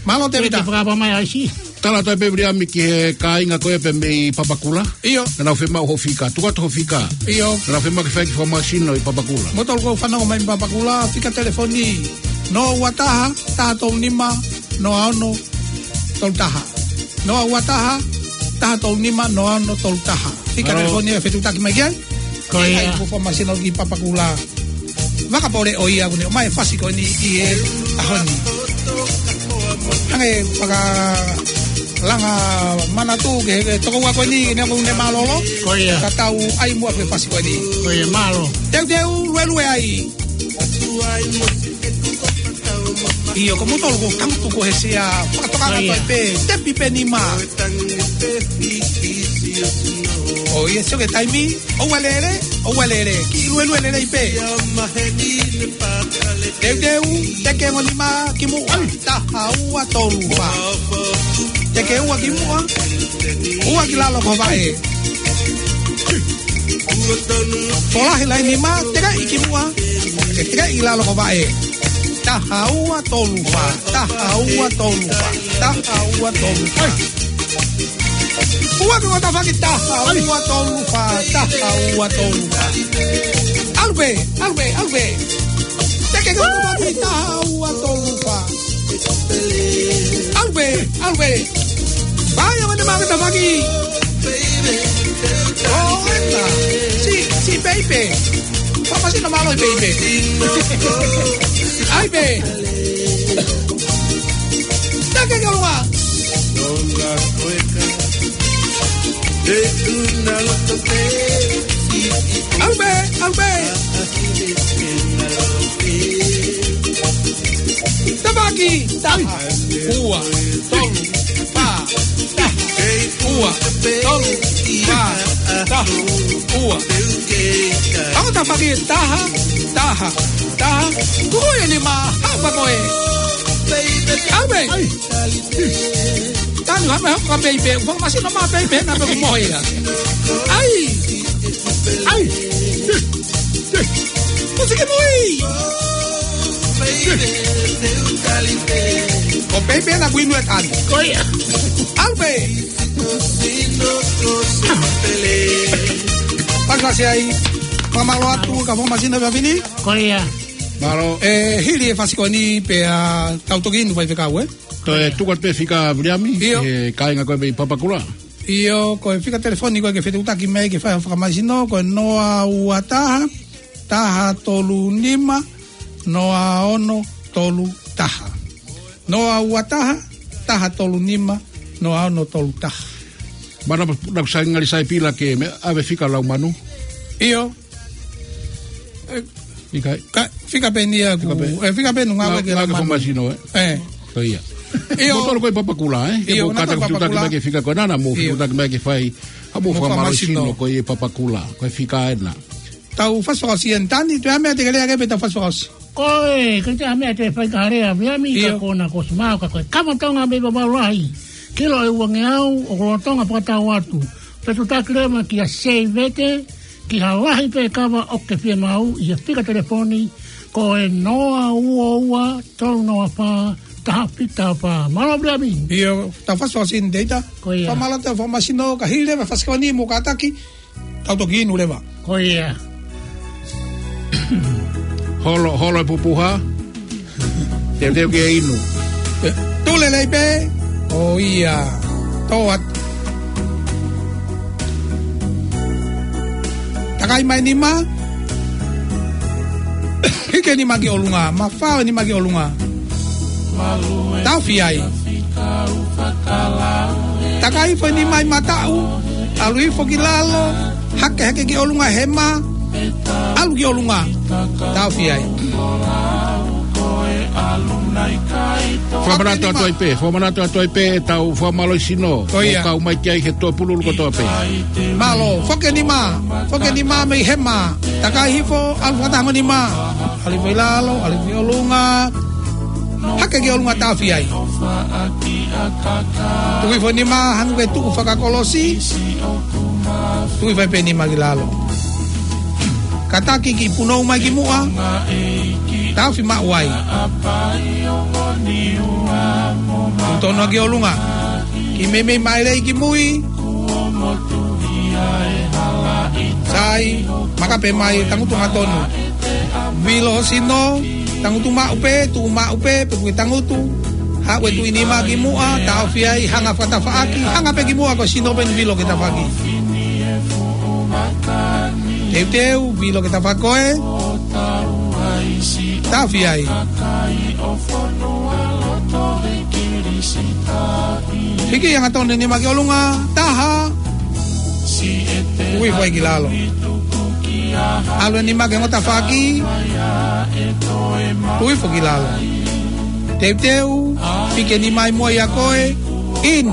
Mālō Tēvita. Ke fakapā mai ʻaisi. Tala atu pē Viliami ki he kāinga ko ē pē mei Papakura. ʻIo. Naʻa nau fiemaʻu hoʻo fika. Tuku atu hoʻo fika. ʻIo. Naʻa nau fiemaʻu ke fai e kiʻi fakamasino ʻi Papakura. Mou toki fanongo mai Papakura, fika telefoni. Noa ua taha, taha tolu nima, noa ono, tolu taha. Noa ua taha, taha tolu nima, noa ono, tolu taha. Fika telefoni ʻe fetuʻutaki mai ki ai. Ko ia. ʻAi, ko e fakamasino ki Papakura. Vakapole ʻo ia ʻoku ne ʻomai e fasi ko eni ʻi he ʻaho ni. Hangē fakalanga manatu ki he tokoua ko eni, ʻoku ne mālōlō. Ko ia. Ka tau ʻai muʻa ki he fasi ko eni. Ko ia, mālō. Teuteu, luelue ai. ʻIo, ko mutolu ko kamutu ko he sea, fakatoka. Ko ia. Pē, tepi pē nima. ʻOiauē, sio ki he taimi, ʻoua lele, ʻoua lele, kiʻi luelue lelei pē. Teuteu, teke mo nima ki muʻa, taha ua tolu fā. Teke ua ki muʻa, ua ki lalo ko vaʻe. Tolahi laini mā, teke ʻi ki muʻa, teke ʻi lalo ko vaʻe. Taha ua tolu fā, taha ua tolu fā, taha ua tolu fā. Ua ki ua tafaki, taha ua tolu fā, taha ua tolu fā. ʻAlu pē, ʻalu pē, ʻalu pē. Teke ki ua tafaki, taha ua tolu fā. ʻAlu pē, ʻalu pē. Vai, ʻo mani mā ki he tafaʻaki. ʻO, ena. Si, si, baby. Fakamasino mālō, baby. ʻAi pē. Teke ki ʻolunga. ʻAlu pē, ʻalu pē. Tafaʻaki, taha, ua, tolu, fā, taha, ua, tolu, fā, taha, ua. Ako tafaʻaki, taha, taha, taha. Kuku ia ni mā, hapa koe. Awe. Ai. Tanu, hapa, hapa, baby. Fakamasino mā, baby, na pe kumohia. Ai. Ai. Pei pē naʻa ku inu e tani. Ko ia. ʻAlu pē. Pasi ai. Fakamālō atu, ka Fuamasino pē fini. Ko ia. Mālō. ʻE, hili e fasi ko eni pea tau toki inu faifekau, ē? Toe tuku atu pē fika Viliami, ʻio, ʻe kāinga ko ē mei Papakura. ʻIo, ko e fika telefoni ko ē ke fetuʻutaki mai ke fai Fuamasino, ko e noa ua taha, taha tolu nima, noa ono tolu taha. Noa ua taha, taha tolu nima, noa ono tolu taha. Mana naku sai ngali sai pila ke meʻa ʻave fika lau manu. ʻIo. ʻE, fika, ka, fika pē ʻeni ʻaku, fika pē, ʻe, fika pē ʻaku ngāue ke lau manu. Fuamasino, ē? ʻE. Ko ia. ʻIo. Mou tolu ko ē Papakura, ē? ʻIo, ke mou kātaki fetuʻutaki mai ke fika ko ena, mou fetuʻutaki mai ke fai, ha mou Fuamasino ko ē Papakura, ko e fika ena. Tau fasi fakaʻosi ʻeni Tani, toe ʻai meʻa te ke lea ki ai pea tau fasi fakaʻosi. Ko e, ke te ʻai meʻa te fai ka lea Viliami, ka ko ena kuo ʻosi maʻu ka ko e kava Tonga mei Vavaʻu Lahi. Kilo ʻe uangeau, ʻoku lolotonga fakatau atu. Fetuʻutaki leva kia Seivete, ki ha lahi pē kava ʻoku ke fiemaʻu, ʻi he fika telefoni, ko e noa ua ua, tolu noa fā, taha fitu taha fā. Mālō Viliami. ʻIo, tau fasi fakaʻosi ʻeni Teita. Ko ia. Fakamālō atu Fuamasino, ka hili leva e fasi ko eni mou kātaki, tau toki inu leva. Ko ia. Holo, holo e pupuha. Teuteu ke inu. Tū lelei pē. ʻO ia. Tō atu. Takai mai nima. Hiki e nima ki ʻolunga. Mafao e nima ki ʻolunga. Taʻofi ai. Takai hifo e nima ʻi mataʻu, ʻalu hifo ki lalo, hake hake ki ʻolunga hema, ʻalu ki ʻolunga, taʻofi ai. Fakamanatu atu ai pē, fakamanatu atu ai pē ʻetau fakamālohisino, ko ia, ʻoku kau mai ki ai he toʻu pululu kotoa pē. Mālō, foki e nima, foki e nima mei hema, takai hifo, ʻalu fakataha mo e nima, ʻalu hifo ki lalo, ʻalu hifo ki ʻolunga, hake ki ʻolunga, taʻofi ai. Tuku hifo e nima, hangē ko e tuʻu fakakolosi. Tuku hifo ai pē e nima ki lalo. Kātaki kiʻi punou mai ki muʻa. Taʻofi maʻu ai. Tuku tonu ki ʻolunga. Kiʻi meimei maʻelei ki mui. Sai, makape mai, tangutu hangatonu. Vilo ho sino, tangutu maʻu pē, tuʻu maʻu pē, pea ke tangutu. Haʻu e tuʻi nima ki muʻa, taʻofi ai, hanga fakatafaʻaki, hanga pē ki muʻa ko e sino pē ʻoku vilo ki he tafaʻaki. Teuteu, vilo ki he tafaʻaki ko ē. Taʻofi ai. Hiki hangatonu e nima ki ʻolunga, taha. Tuku hifo ai ki lalo. ʻAlu e nima ki he ongo tafaʻaki. Tuku hifo ki lalo. Teuteu, hiki e nima ʻi muʻa ʻia koe. In.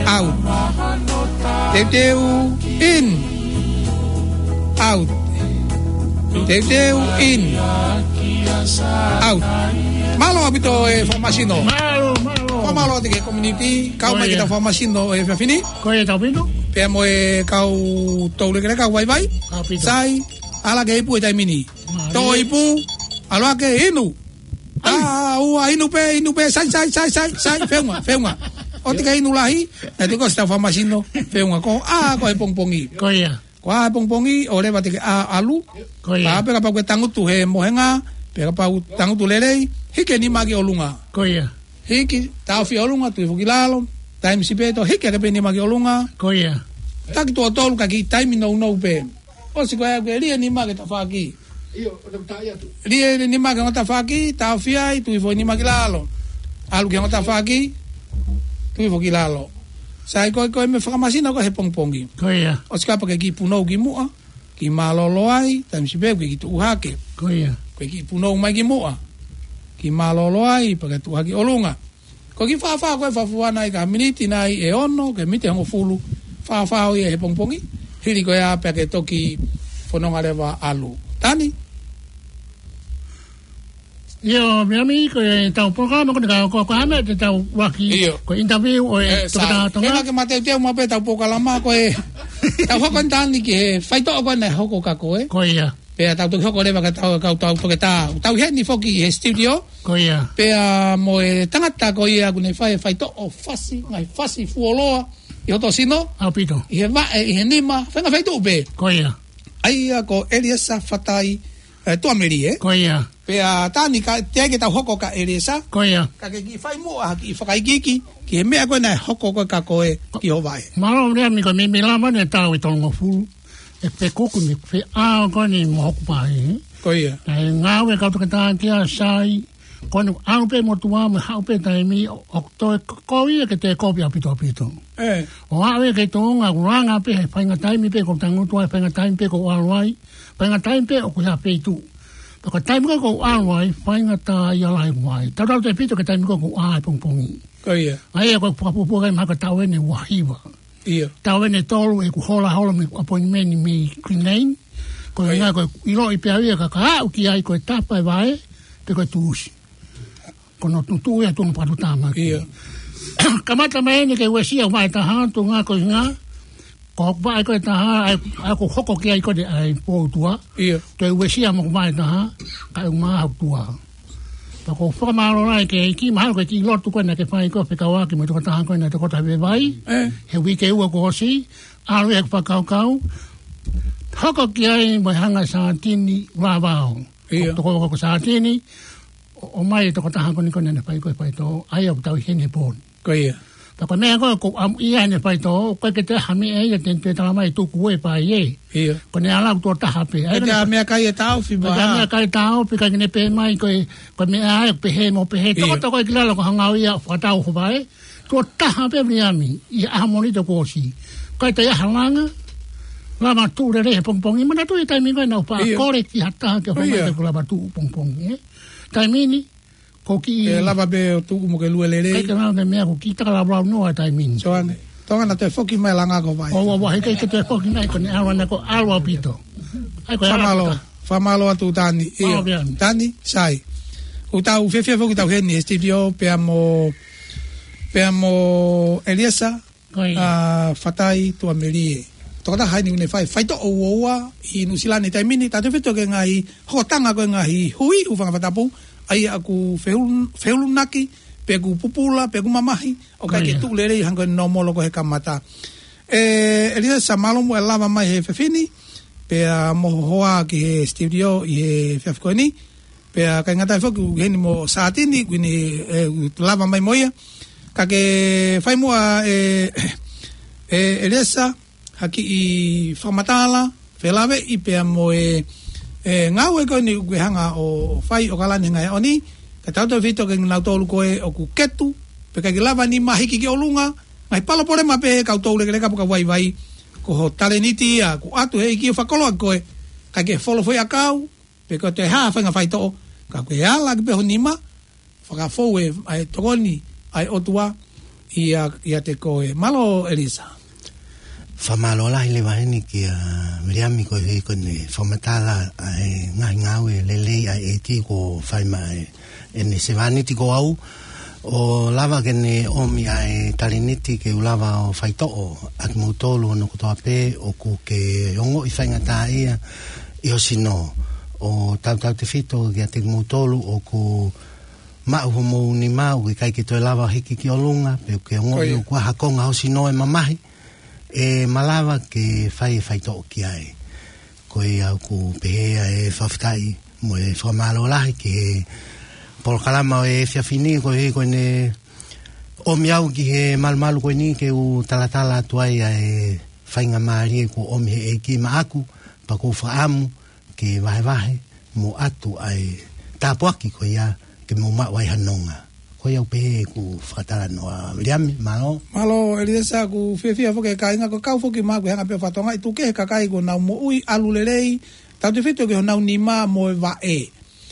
Out. Teuteu, in. Out. Teuteu, in. Out. Mālō ʻaupito e Fakamasino. Mālō, mālō. Fakamālō atu ki he community, kau mai ki he Fakamasino he efiafi ni. Ko ia, tau pino. Pea mo e kau toulekeleka, kau vaivai. Tau pino. Sai, ʻalu hake ipu he taimi ni. Mālō. Toʻo ipu, ʻalu hake inu. Ai. Ā, ua, inu pē, inu pē, sai, sai, sai, sai, sai, feʻunga, feʻunga. ʻOua te ke inu lahi, naʻe tuku ʻe he Fakamasino, feʻunga ko, ā, ko e pongipongi. Ko ia. Ko e pongipongi, ʻoua leva te ke ʻalu. Ko ia. Pea kapau ʻoku ke tangutu he mohenga, pea kapau tangutu lelei, hiki e nima ki ʻolunga. Ko ia. Hiki, taʻofi ʻolunga, tuku hifo ki lalo, taimi sipeto, hiki hake pē nima ki ʻolunga. Ko ia. Taki tuʻo tolu ka kiʻi taimi nounou pē. ʻOsi ko ia, ke lie nima ki he tafaʻaki. ʻIo, ʻo te taʻi atu. Lie nima ki he ongo tafaʻaki, taʻofi ai, tuku hifo nima ki lalo. ʻAlu ki he ongo tafaʻaki, tuku hifo ki lalo. Sai ko e, ko e meʻa Fakamasino ko e he pongipongi. Ko ia. ʻOsi kapau ke kiʻi punou ki muʻa, kiʻi mālōlō ai, taimi sipeto ke kiʻi tuʻu hake. Ko ia. Ko e kiʻi punou mai ki muʻa. Kiʻi mālōlō ai, pea ke tuʻu hake ʻolunga. Ko e kiʻi fāfā ko e fāfā nai ka miniti nai ʻe ono, ke miniti ʻe hongofulu, fāfā ʻo ia he pongipongi, hili ko ia pea ke toki fononga leva ʻalu. Tani? ʻIo, Miami, ko e tau polokalama ko eni ka, ko, ko e hā e meʻa te tau ʻuluaki, ʻio, ko e interview ʻo e, ē, toketā sai. Tonga. Hangē ke ma teuteu maʻu pē tau polokalama ko e, tau hoko eni Tani ki he faitoʻo ko ē naʻe hoko kia koe. Ko ia. Pea tau toki hoko leva ka tau, ka tau toki tā. Tau heni foki he studio. Ko ia. Pea mo e tangata ko ia ʻoku ne fai e faitoʻo fasi, ngaahi fasi fuoloa ʻi hoto sino. ʻAupito. ʻI he vaʻe, ʻi he nima, fenga faitu pe. Ko ia. ʻA ia ko Eliesa Fatai, eh, Tuamelie. Ko ia. Pea Tani ka, teʻeki ke tau hoko ka Eliesa. Ko ia. Ka ke kiʻi fai muʻa, kiʻi fakaikiiki, ki he meʻa ko ē naʻe hoko ko ē kia koe ki ho vaʻe. Mālō Viliami, ko e meimei lava eni e taʻu ʻe tolungofulu. ʻE pekuku ni, feʻao ko eni mo hoku paʻi. Ko ia. Naʻe ngāue kau toketā kia Sai, ko eni ʻalu pē motuʻa mo haʻu pē taimi, ʻo, ʻo toe ko, ko ia ke te kopi ʻaupito ʻaupito. ʻE. ʻO aʻu ia ki he tuʻunga, ʻoku langa pē he faʻahinga taimi pē ʻoku tangutu ai, faʻahinga taimi pē ʻoku ʻalu ai, faʻahinga taimi pē ʻoku ʻi ha feituʻu. Pea ko e taimi ko ē ʻoku ʻalu ai, faʻahinga tā ia lahi ʻoku ai. Tautau tefito ki he taimi ko ē ʻoku ʻā he pongipongi. Ko ia. ʻA ia ko e fakapupua kai mahalo ko e taʻu eni ʻe ua hiva. Ia. Taʻu eni ʻe tolu ʻeku hola hola mei he appointment mei Green Lane. Ko e ʻIo. Ngaahi ko e ʻiloʻi pē au ia ka ka aʻu ki ai ko e tapa e vaʻe, pe ko e tuʻusi. Ko hono tuʻu ia tuʻunga patu tama. Ia. Kamata mai eni ke uesia vaʻe taha, tuʻunga ko e ʻuhinga. Ko hoku vaʻe ko ē ʻe taha, ʻa ia, ʻa ia ʻoku hoko ki ai ko eni ʻa e pō ʻOtua. Ia. Toe uesia mo hoku vaʻe taha, kae ʻumaʻā hoku tuʻa. Pea ʻoku ou fakamālō lahi ki he ʻEiki, mahalo ko e kiʻi lotu ko ē naʻa ke fai ko ē fekauʻaki mo e tokotaha ko ē naʻe tokoto he vaivai. ʻE. He uike ua kuo ʻosi, ʻalu ia he fakakaukau. Hoko ki ai mo e hanga Satini Ulavao. Ia. Ko, ko, ko Satini, ʻo, ʻomai e tokotaha ko eni ko ē naʻa ne fai ko ē faitoʻo, ʻa ia ʻoku tau ʻi heni he pō ni. Ko ia. Pea ko e meʻa ko ē ʻoku ou ʻamuʻia heʻene faitoʻo, ʻoku ʻikai ke toe ʻi ai ha meʻa ia te ne toe tala mai tuku e pai ē. Ia. Ko ʻene ʻalu ʻo tuʻo taha pē. ʻIkai ke toe ʻi ai ha meʻakai ʻe taʻofi, ʻikai ke toe ʻi ai ha meʻakai ʻe taʻofi, ʻikai ke ne pehē mai ko e, ko e meʻa ē, pehē mo pehē. Ia. Tokoto ko ē ki lalo ko e hanga ia ʻo fakatau ho vaʻe. Tuʻo taha pē Viliami, ʻi he ʻaho Mōnite kuo ʻosi. ʻIkai toe ʻi ai ha langa, lava tuʻu lelei he pongipongi. Manatuʻi e taimi ko ē naʻa ku faʻa Ia. kole ki ha taha ke ʻomai Ia. ke u lava tuʻu pongipongi, ē. Taimi ni, ko e kiʻi ʻE lava pē ʻo tuʻu mo ke lue lelei. ʻIkai ke lava ke meʻa ko e kiʻi taka laulau noa taimi ni. Soane. Tonga naʻa toe foki mai langa ko e vaʻe. ʻO, ʻo, ʻo, heʻikai ke toe foki mai ko ʻene ʻalu ʻana ko e ʻalu ʻaupito. ʻA ia ko e ʻalu Fakamālō. ʻaupito. Fakamālō atu Tani. Mālō Ia. Viliami. Tani, Sai. ʻOku tau fiefia foki tau heni he studio pea mo, pea mo Eliesa. Ko ia. ʻA, Fatai Tuamelie. Tokotaha eni ʻoku ne fai faitoʻo uaua ʻi Nuʻusila he taimi ni, tautefito ki he ngaahi hokotanga ko ē ngaahi hui ʻo e fanga fakatapu, ʻa ia ʻoku feulu-, feulunaki, pe ʻoku pupula, pe ʻoku mamahi, ʻoku ʻikai ke Ko ia. tuʻu lelei hangē ko e nōmolo ko ē he kamata. ʻE, Eliesa, mālō muʻa e lava mai he efiafi ni, pea mo ho hoa ki he studio ʻi he efiafi ko eni, pea ʻikai ngata ai foki ʻoku heni mo Satini, ʻoku ne, ʻe, lava mai mo ia. Ka ke fai muʻa ʻe, ʻe, Eliesa, ha kiʻi fakamatala, felāveʻi pea mo e, ʻe, ngāue ko eni ʻoku ke hanga ʻo fai ʻo kalani he ngaahi ʻaho ni, ka tautefito ki he ngaahi tolu ko ē ʻoku ketu, pea ʻikai ke lava nima hiki ki ʻolunga, ngaahi palopalema pē ʻa e kau toulekeleka pe kau vaivai, ko ho talēniti ia, kuo ʻoatu ʻe he ʻEiki ʻo fakakoloa koe, ʻikai ke folo foʻi ʻakau, pe ko e toe hā ha faʻahinga faitoʻo, ka ke ala ʻaki pē ho nima, fakafou e, ʻa e tokoni, ʻa e ʻOtua, ʻia, ʻiate koe. Mālō, Eliesa. Fakamālō lahi leva heni kia Viliami koeʻuhi ko ʻene fakamatala ʻa e ngaahi ngāue lelei ʻa e ʻEiki kuo fai maʻa ʻene sevāniti ko au. ʻO lava ke ne ʻomi ʻa e talēniti ke u lava ʻo faitoʻo ʻa kimoutolu hono kotoa pē ʻoku ke ongoʻi faingataʻaʻia ʻi ho sino. ʻO tautautefito kiate kimoutolu ʻoku maʻu homou nima ʻoku ʻikai ke toe lava hiki ki ʻolunga, pe ʻoku ke ongoʻi Ko ia. ʻoku ʻi ai ha konga ho sino ʻe mamahi, ʻe malava ke fai e faitoʻo ki ai. Ko ia ʻoku pehē ʻa e fakafetaʻi mo e fakamālō lahi ki he polokalama ʻo e efiafi ni koeʻuhi ko ʻene ʻomi au ki he malumalu ko eni ke u talatala atu ai ʻa e faingamālie kuo ʻomi ʻe he ʻEiki maʻaku, pea ʻoku ou fakaʻamu ke vahevahe mo ʻoatu ʻa e tāpuaki ko ia ke mou maʻu ai ha nonga. Ko ia ʻoku pehē ʻeku fakatalanoa, Viliami, mālō. Mālō, Eliesa, ʻoku fiefia foki e kāinga, ʻoku kau foki maʻaku he anga pē ʻo e fatongia, ʻi he tuku e kakai kuo nau moʻui ʻalu lelei, tautefito ki honau nima mo e vaʻe.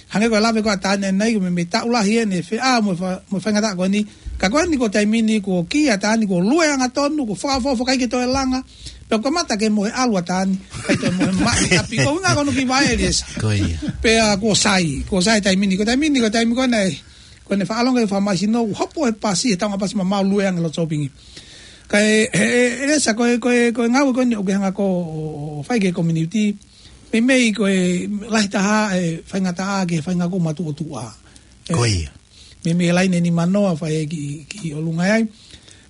Hangē ko e lave ko ē ʻa Tani ʻanenai, ko e meimei taʻu lahi eni e feʻao mo e fa-, mo e faingataʻa ko eni. Ka ko eni ko e taimi ni kuo kī ʻa Tani kuo lue angatonu, kuo fakaʻofoʻofa ʻikai ke toe langa. Pea kuo kamata ke mohe ʻalu ʻa Tani, ʻikai toe mohe maʻi ʻapi. Ko e ʻuhinga ko hono kiʻi vaʻe Eliesa. Ko ia. Pea kuo sai, kuo sai taimi ni, ko e taimi ni, ko e taimi ko ena ē. Ko ʻene fakalongo e fakamāsino, hopo he pasi, he taunga pasi mamau lue ange loto sōpingi. Ka e, e, e, Eliesa, ko e, ko e, ko e ngāue ko eni ʻoku ke hanga ko ē ʻo, ʻo fai ki he community. Meimei ko e lahi taha e faingataʻa ki he faʻahinga ko e matuʻotuʻa. Ko ia. Meimei laine nimanoa fai ki, ki ʻolunga ai.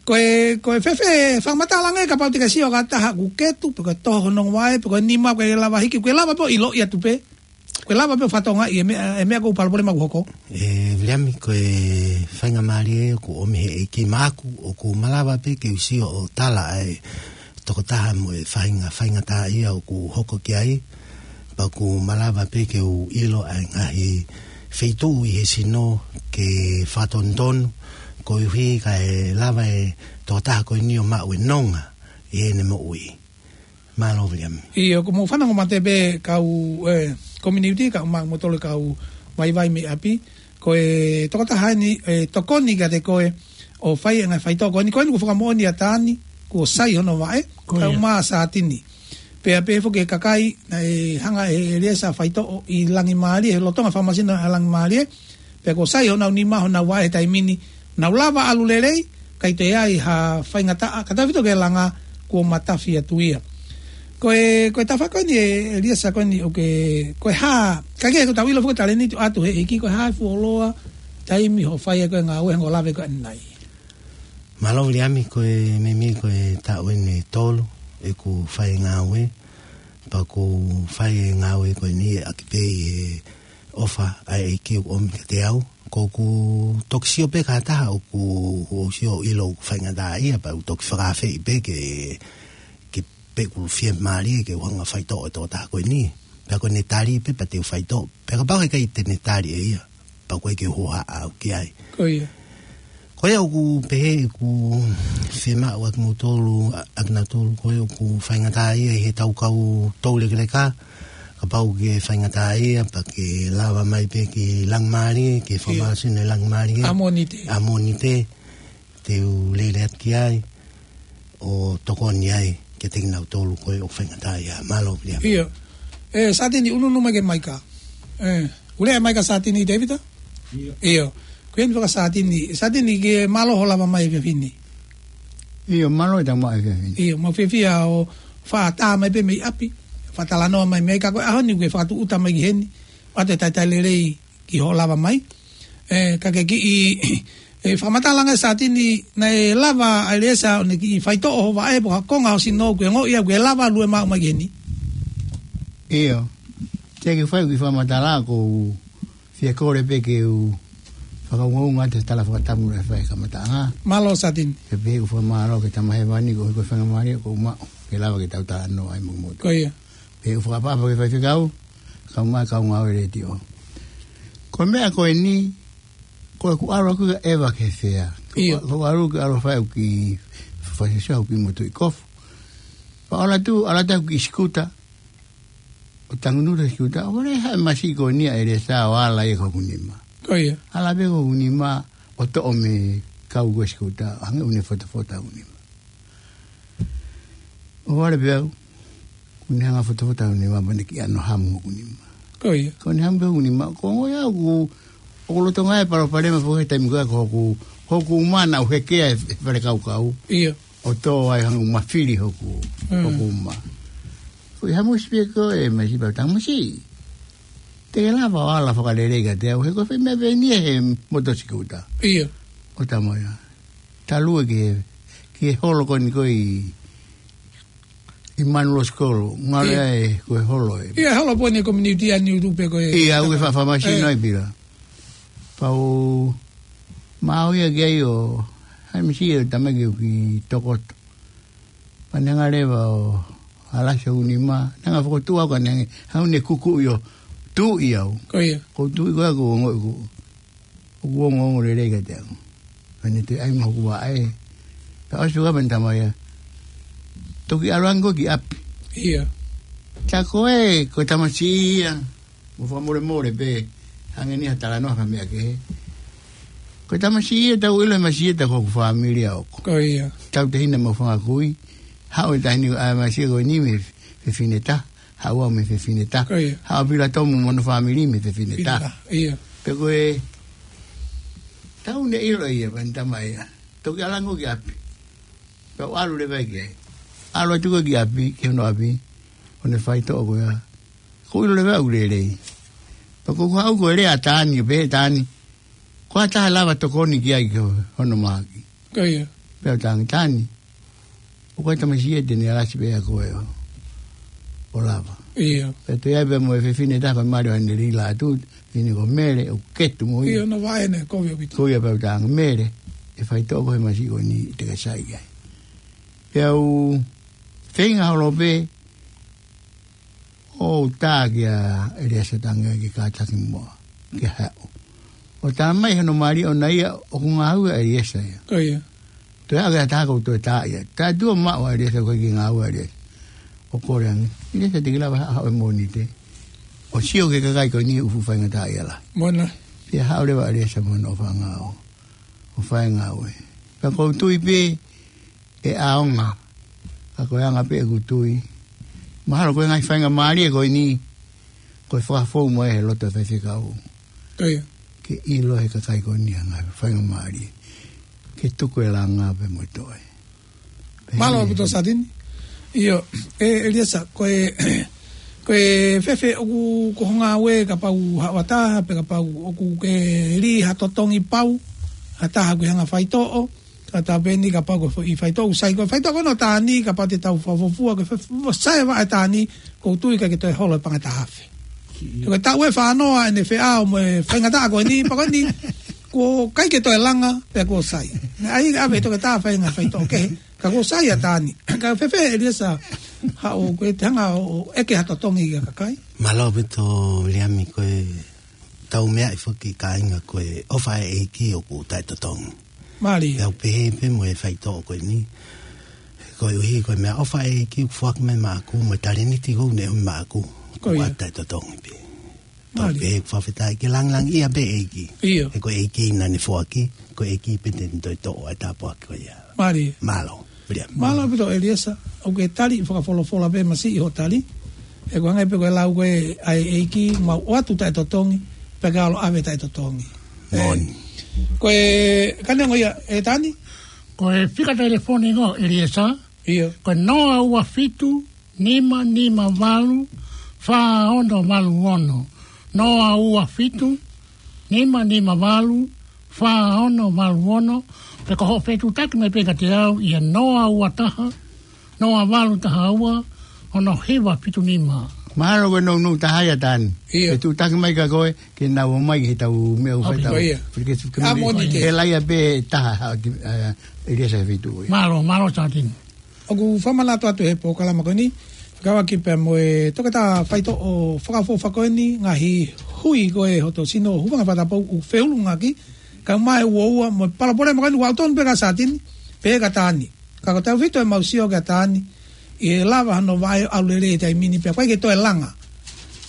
Ko e, ko e fēfē fakamatala ange kapau te ke sio ki ha taha ʻoku ketu, pe ko e toho hono vaʻe, pe ko e nima, pe ko e lava hiki, pe ko e lava pē ʻo ʻiloʻi atu pē. Pe ko e lava pē ʻo fakatokangaʻi e meʻa, e meʻa ko e palopalema ʻoku hoko. ʻE Viliami, ko e faingamālie ʻoku ʻomi he ʻEiki maʻaku, ʻoku malava pē ke u sio ʻo tala ʻa e tokotaha mo e faʻahinga faingataʻaʻia ʻoku hoko ki ai, pea ʻoku malava pē ke u ʻilo ʻa e ngaahi feituʻu ʻi he sino ke fakatonutonu, koeʻuhi kae lava e tokotaha ko eni ʻo maʻu e nonga ʻi heʻene moʻui. Mālō Viliami. ʻIo, ʻoku mou fanongo mate pē kau, ē, community, kau ma-, mo tole kau vaivai mei ʻapi. Ko e tokotaha eni, ʻe tokoni kiate koe ʻo fai e ngaahi faitoʻo ko eni, ko eni kuo fakamoʻoni ʻa Tani, kuo sai hono vaʻe, Ko ia. kaeʻumaʻā Satini. Pea pehē foki e kakai, naʻe hanga ʻe ʻEliesa ʻo faitoʻo ʻi Langimālie, he lolotonga fakamasino ʻa Langimālie, pea kuo sai honau nima, honau vaʻe he taimi ni, nau lava ʻalu lelei, ʻikai toe ʻi ai ha faingataʻa, ka tau fito ke langa kuo matafi atu ia. Ko e, ko e tafaʻaki ko eni ʻe, ʻEliesa ko eni ʻoku ke, ko e hā, ka ke ko tau ʻilo foki talēniti ʻoatu he ʻEiki, ko e hā e fuoloa taimi hoʻo fai ai ko e ngāue hangē ko e lave ko eni ai. Mālō Viliami, ko e meimei ko e taʻu eni ʻe tolu ʻeku fai e ngāue, pea ʻoku ou fai e ngāue ko eni ʻaki pē ʻi he ʻofa ʻa e ʻEiki ʻoku ʻomi kiate au. ʻOku ou toki sio pē ki ha taha ʻoku ou sio ʻilo ʻoku faingataʻaʻia pea u toki fakaafeʻi pē ke, ke pehē ʻoku fiemālie ke u hanga ʻo faitoʻo e tokotaha ko eni. Pea ko ʻene tali pē pea te u faitoʻo. Pea kapau heʻikai te ne tali ʻe ia, pea ʻoku ʻikai ke u hohaʻa au ki ai. Ko ia. Ko ia ʻoku pehē ʻeku fiemaʻu ʻa kimoutolu, ʻa, ʻa kinautolu ko ia ʻoku faingataʻaʻia ʻi heʻetau kau toulekeleka, kapau ʻoku ke faingataʻaʻia, pea ke lava mai pē ki Langimālie, ki he Ia. fakamasino ʻi Langimālie. ʻA Mōnite. ʻA Mōnite, te u lele atu ki ai, ʻo tokoni ai kiate kinautolu ko ia ʻoku faingataʻaʻia. Mālō Viliami. ʻIo. ʻE, Satini, ʻunuʻunu mai ki he maika. ʻE, ʻoku lea mai ki ai Satini Tēvita? ʻIo. ʻIo. Ko eni faka Satini. Satini, ʻoku mālō hoʻo lava mai he efiafi ni. ʻIo, mālō e tau mai he efiafi ni. ʻIo, mau fiefia hoʻo fakatā mai pē mei ʻapi. Fakatalanoa mai mei ai ka ko e ʻaho ni ʻoku ke fakatūʻuta mai ki heni. ʻOatu e talitali lelei ki hoʻo lava mai. ʻE, ka ke kiʻi, ʻe, fakamatala ange Satini naʻe lava ʻa ʻEliesa ʻo ne kiʻi faitoʻo hoʻo vaʻe pe ko ha konga ho sino ʻoku ke ongoʻi ʻoku ke lava ʻo lue maʻu mai ki heni. ʻIo. Te ke fai kiʻi fakamatala ʻoku ou fie kole pē ke u fakaungaunga atu he tala fakatapu naʻe fai he kamataʻanga. Mālō Satini. Ke pehē ʻeku fakamālō ki he Tamai Hēvani koeʻuhi ko e faingamālie kuo u maʻu ke lava ke tau talanoa ai mo kimoutolu. Ko ia. Pea ʻoku ou fakaʻapaʻapa ki he faifekau, kae ʻumaʻā e kau ngāue letiō. Ko e meʻa ko eni, ko ʻeku ʻalu ʻaku ia ʻeva ki he fea. ʻIo. Ko ʻeku ʻalu ke ʻalu ʻo fai ʻeku kiʻi fakaʻofoʻofa ʻeku kiʻi motuʻi kofu. Pea ʻalu atu, ʻalu atu ʻeku kiʻi sikuta. ʻO tangutu he sikuta, ʻo lele haʻu e masiʻi ko eni ʻa ʻEliesa ʻo ala ia ki hoku nima. Ko ia. Ala pē ki hoku nima, ʻo toʻo mei he kau ko ē sikuta, hangē ʻoku ne fotofota hoku nima. ʻO vale pē au, ʻoku ne hanga ʻo fotofota hoku nima, pea ne kiʻi ʻano hamu hoku nima. Ko ia. Ko ʻene hamu pē hoku nima, ʻoku ou ongoʻi au ʻoku, ʻoku lolotonga e palopalema foki he taimi ko ia ko hoku, hoku uma naʻa ku hekea he, he fale kaukau. ʻIo. ʻO tō ai hangē ʻoku mafili hoku, Mm. hoku uma. Ko e hamusi pē ko e masiʻi pea u tangutu masiʻi. Te ke lava ʻo ala fakalelei kiate au, he ko e fē meʻa pē eni ia he moto sikuta. ʻIo. ʻO talamai ia. Talu ē ki he, ki he holo ko eni ko ē ʻi, ʻi Manuʻa Sikolo, ngalo Ia. ē ko e holo ē. Ia, holo pē eni community ʻa Niutupe ko ē. Ia, ʻoku ke fa-, fakamasino Eh. ai pila. Pea u maʻu ia ki ai ʻo, hai misi ʻo tamai ke u kiʻi tokoto. Pea ne hanga leva ʻo alasi hoku nima, ne hanga fokotuʻu au ka ne hanga, haʻu ne kukuʻi ʻo tuʻi au. Ko ia. Ko e tuʻi ko ia ʻoku ou ongoʻi ʻoku, ʻoku ongoongo lelei kiate au. Pea ne toe ʻai mai hoku vaʻe. Pea ʻosi pē ka pea ne talamai ia. Toki ʻalu ange koe ki ʻapi. Ia. Tā ko ē, ko e tamasiʻi ia. Mo fakamolemole pē, hangē ni ha talanoa ka meʻa kehe. Ko e tamasiʻi ia tau ʻilo e masiʻi ia tā ko hoku fāmili ʻa ʻoku. Ko ia. Tau tehina mo fanga kui, haʻu e taʻahine ʻa e masiʻi ko eni mei he fefine taha, haʻu au mei he fefine taha. Ko ia. Haʻu Pila Tomu mo hono fāmili mei he fefine taha. Pila, ia. Pea ko e, tau ne ʻilo ia, pea ne talamai ia. Toki ʻalu ange koe ki ʻapi. Pea u ʻalu leva ki ai. ʻAlu atu ko ē ki ʻapi, ki hono ʻapi, ʻo ne faitoʻo ko ia. Ko u ʻilo leva ʻoku lelei. Pea ko u haʻu ko e lea ʻa Tani, pehē ʻe Tani, ko ha taha ʻe lava tokoni ki ai ki hono mahaki. Ko ia. Pea u talaange, Tani, ʻoku ʻi ai e tamasiʻi ʻe Teni Alasi pea ko e ʻo, ʻo lava. Ia. Pea toe ʻi ai pē mo e fefine taha ko e mali ʻo ʻene lila atu, fefine ko Mele, ʻoku ketu mo ia. Ia, no vaʻe ne, kovi ʻaupito. Ko ia pea u talaange, Mele, ʻe faitoʻo koe he masiʻi ko eni te ke sai ai. Pea u feinga holo pē, ʻo tā kia ʻEliesa Tangi ke kātaki muʻa, ke haʻu. ʻO tā mai hono mali ʻona ia ʻoku ngāue ʻa ʻEliesa ia. Ko ia. Toe ake ata ko toe tā ia. Tā tuʻo maʻu ʻa ʻEliesa ko e ki ngāue ʻa ʻEliesa. ʻO kole ange, ʻEliesa te ke lava haʻu he Mōnite. ʻO sio ki he kakai ko eni ʻoku fuʻu faingataʻaʻia lahi. Mona. Pea haʻu leva ʻa ʻEliesa mo hono ʻofaʻanga ʻo, ʻo fai e ngāue. Pea ko u tui pē, ʻe ʻaonga. Ka ko e anga pē ʻeku tui. Mahalo ko e ngaahi faingamālie ko eni, ko e fakafou mai he loto faifekau. Ko ia. Ke ʻilo he kakai ko eni ʻa e ngaahi faingamālie. Ke tuku e langa pē mo e toe. Mālō ʻaupito Satini. ʻIo, ʻe, ʻEliesa, ko e, ko e fēfē ʻoku ko ho ngāue kapau haʻu ha taha, pe kapau ʻoku ke lī ha totongi pau, ha taha ʻoku ke hanga faitoʻo, ka tā pē eni kapau ko e foʻi faitoʻo ʻoku sai ko e faitoʻo ko ena ʻo Tani, kapau te tau fakafuofua ko e fē, sai e vaʻe ʻa Tani, ko u tui ʻikai ke toe holo e pangata hafe. Ko e taʻu ʻe fānoa ʻene feʻao mo e faingataʻa ko eni, pea ko eni, kuo ʻikai ke toe langa, pea kuo sai. Naʻe ʻai ʻave ʻe he toketā fainga faitoʻo kehe, ka kuo sai ʻa Tani. Ka fēfē ʻEliesa, haʻu ko e te hanga ʻo, ʻo ʻeke ha totongi ki he kakai. Mālō ʻaupito Viliami, ko e tau meaʻi foki kāinga ko e ʻofa ʻa e ʻEiki ʻoku taʻetotongi. Mālie. Pea u pehē pē mo e faitoʻo ko eni. Koeʻuhi ko e meʻaʻofa ʻa e ʻEiki ʻoku foaki mai maʻaku, mo e talēniti ʻoku ne ʻomi maʻaku. Ko ia. ʻOku taʻetotongi pē. Tau Mālie. Pehē ʻoku fakafetaʻi ke langilangiʻia pē ʻEiki. ʻIo. He ko e ʻEiki naʻa ne foaki, ko e ʻEiki pē te ne toe toʻo ʻa e tāpuaki ko ia. Mālie. Mālō. Mālō. Mālō ʻaupito ʻEliesa, ʻoku ke tali fakafolofola pē masiʻi hoʻo tali. He ko e hangē pē ko e lau ko ē ʻa e ʻEiki, mau ʻoatu taʻetotongi, pea ke ʻalu ʻo ʻave taʻetotongi. Moʻoni. Ko e, ka neongo ia, ʻe Tani? Ko e fika telefoni ko ē ʻEliesa. ʻIo. Ko e noa ua fitu, nima nima valu, fā ono valu ono. Noa ua fitu, nima nima valu, fā ono valu ono. Pe ko hoʻo fetuʻutaki mai pē kiate au ʻi he noa ua taha, noa valu taha ua, ono hiva fitu nima. Mahalo ko e nounou taha ia Tani. ʻIo. Fetuʻutaki mai kia koe, ke nau ō mai he tau meʻa ʻoku fai ʻOku tau. Ko ia. Fili ke su-, ke A moni. Moni te. He laia pē taha, ha, ʻe, ʻEliesa he feituʻu ia. Mālō, mālō Satini. ʻOku fakamanatu atu he polokalama ko eni, fekauʻaki pea mo e toketā faitoʻo fakaʻofoʻofa ko eni, ngaahi hui ko ē hoto sino, hūfanga he fakatapou ʻoku feʻunga ki, kae ʻumaʻā e uaua mo e palopalema ko eni, ʻoku ʻautonu pē kia Satini, pehē kia Tani. Ka ko tautefito ʻemau sio kia Tani, ʻe lava hano vaʻe ʻo ʻalu lelei he taimi ni pea ʻikai ke toe langa.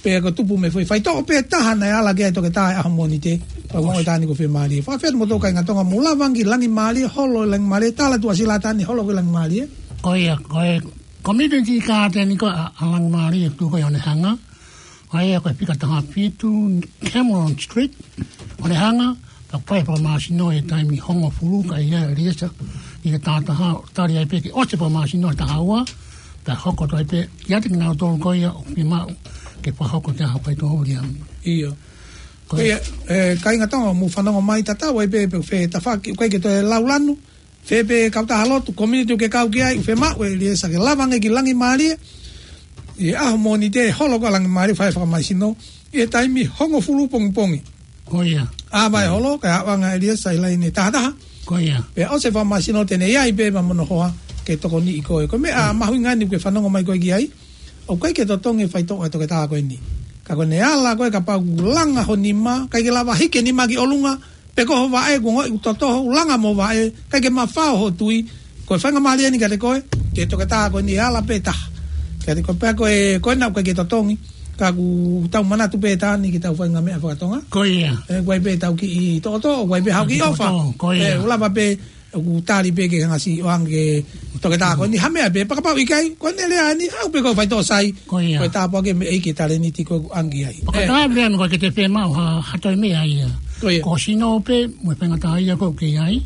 Pea ko e tupu mei he foʻi faitoʻo pē taha naʻe ala ki ai e toketā he ʻaho Mōnite, pea ko e Tani ko e fiemālie. Fakafetaʻi mo e tau kāinga Tonga mou lava ange ki Langimālie, holo Langimālie, tala tuʻasila Tani, holo ki Langimālie. Ko ia, ko e community garden ko ē ʻa, ʻa Langimālie ʻoku tuʻu ko ē ʻi Onehunga. ʻA ia ko e fika taha fitu Cameron Street, Onehunga, pea fai fakamāsino he taimi hongofulu ka ʻi ai ʻa ʻEliesa ʻi he taha taha, tali ai pē ke ʻosi fakamāsino he taha ua, pea hoko atu ai pē, kiate kinautolu ko ia ʻoku fiemaʻu ke fakahoko ʻa e faitoʻo Viliami. ʻIo. Ko ia, ʻe, kāinga Tonga, mou fanongo mai tatau ai pē, pe fē tafaʻaki, ʻoku ʻikai ke toe lau lanu, fē pē kautaha lotu, community ʻoku ke kau ki ai, ʻoku fiemaʻu ʻe ʻEliesa ke lava ange ki Langimālie, ʻi he ʻaho Mōnite, holo ko ē ʻa Langimālie, fai fakamāsino, ʻi he taimi hongofulu pongipongi. Ko ia. ʻA vai holo, kae ʻaonga ʻEliesa ʻi he laine taha taha. Ko ia. Pea ʻosi e fakamāsino te ne ʻi ai pē mo hono hoa, ke tokoniʻi koe. Ko e meʻa mahuʻinga eni ʻoku ke fanongo mai koe ki ai, ʻoku ʻikai ke totongi e faitoʻo ʻa e toketā ko eni. Ka ko ʻene ala ko ē kapau ʻoku langa ho nima, ʻikai ke lava hiki e nima ki ʻolunga, pe ko ho vaʻe, kuo ongoʻi ʻoku totoho, ʻoku langa mo ho vaʻe, ʻikai ke mafao hoʻo tui, ko e faingamālie eni kiate koe, ki he toketā ko eni ʻe ala pē taha. Kiate koe pea ko e, ko ena ʻoku ʻikai ke totongi, ka ʻoku tau manatu pē Tani ki he tau faʻahinga meʻa fakatonga. Ko ia. ʻE, ʻoku ʻi ai pē tau kiʻi toʻotoʻo, ʻoku ʻi ai pē haʻu kiʻi ʻofa. Toʻotoʻo, ko ia. ʻE, ʻoku lava pē, ʻoku tali pē ke hanga ʻo ʻoange ki he toketā ko eni ha meʻa pē, pea kapau ʻikai, ko ʻene lea eni, haʻu pē ko e faitoʻo sai, Ko ia. ko e tāpuaki mei he ʻEiki, talēniti ko ē ʻoku ʻange ai. Pea ko e ʻe. Taha pē ʻa ē ʻoku ʻikai ke te fiemaʻu ha, ha toe meʻa ia. Ko ia. Ko hoʻo sino pē, mo e faingataʻaʻia ko ē ʻoku ke ʻi ai.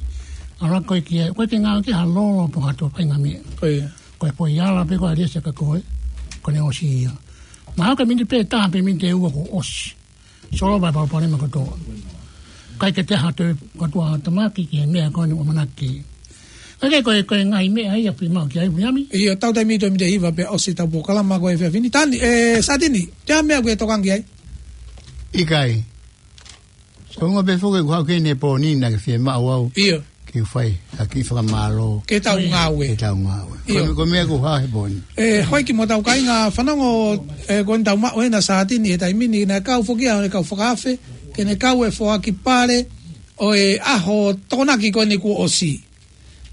ʻAlu koe ki ai, ʻoku ʻikai ke ngāue ki ai ha lolo pe ko ha toe faʻahinga meʻa. Ko ia. Ko e foʻi ala pē ko ē ʻa ʻEliesa kia koe, ko ʻene ʻosi ia. Mahalo ko e miniti pē ʻe taha pe miniti ʻe ua kuo ʻosi. Solova e palopalema kotoa. ʻIkai ke toe ha toe kotoa tamaki ki he meʻa ko eni ʻoku ʻamanaki. Ka ko e, ko e ngaahi meʻa ia ʻoku fiemaʻu ki ai, Viliami. ʻIo, tau taimi toe miniti ʻe hiva pea ʻosi ʻetau polokalama ko e efiafi ni. Tani, ē, Satini, te ʻi ai ha meʻa ʻoku ke tokanga ki ai? ʻIkai. Ko e ʻuhinga pē foki ʻoku ou haʻu ki heni he pō ni naʻa ke fiemaʻu au. ʻIo. Ke fai ha kiʻi fakamālō. Ki heʻetau ngāue. Ki heʻetau ngāue. ʻIo. Ko e, ko e meʻa ʻoku ou haʻu he pō ni. Ē, houʻeiki mo hotau kāinga fanongo, ē, ko eni tau maʻu ʻe Satini he taimi ni, naʻe kau foki ʻa e kau fakaafe, ke ne kau he foaki pale ʻo e ʻaho Tokonaki ko eni kuo ʻosi.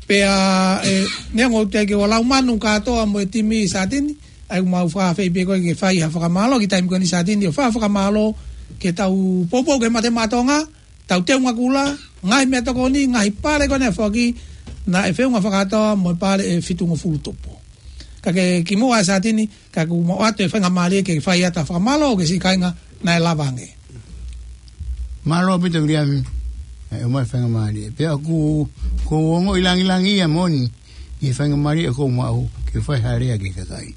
Pea, ē, neongo ʻoku teʻeki ke ʻi ai ha lau manu kātoa mo e timi Satini, ʻa ia ʻoku mau fakaafeʻi pē koe ke fai ha fakamālō, ki he taimi ko eni Satini, ʻo fai ha fakamālō, ke tau poupou ki he Mate Maʻa Tonga, tau teunga kula, ngaahi meʻatokoni, ngaahi pale ko eni foaki, naʻe feʻunga fakakātoa mo e pale ʻe fitungofulu tupu. Ka ke kimuʻa Satini, ka ʻoku mau ʻoatu e faingamālie ke fai atu ha fakamālō ki he siʻi kāinga naʻe lava ange. Mālō ʻaupito Viliami, ē, ʻomai e faingamālie. Pea ʻoku, ʻoku ou ongoʻi langilangiʻia moʻoni, ʻi he faingamālie ʻoku ou maʻu, ke fai ha lea ki he kakai.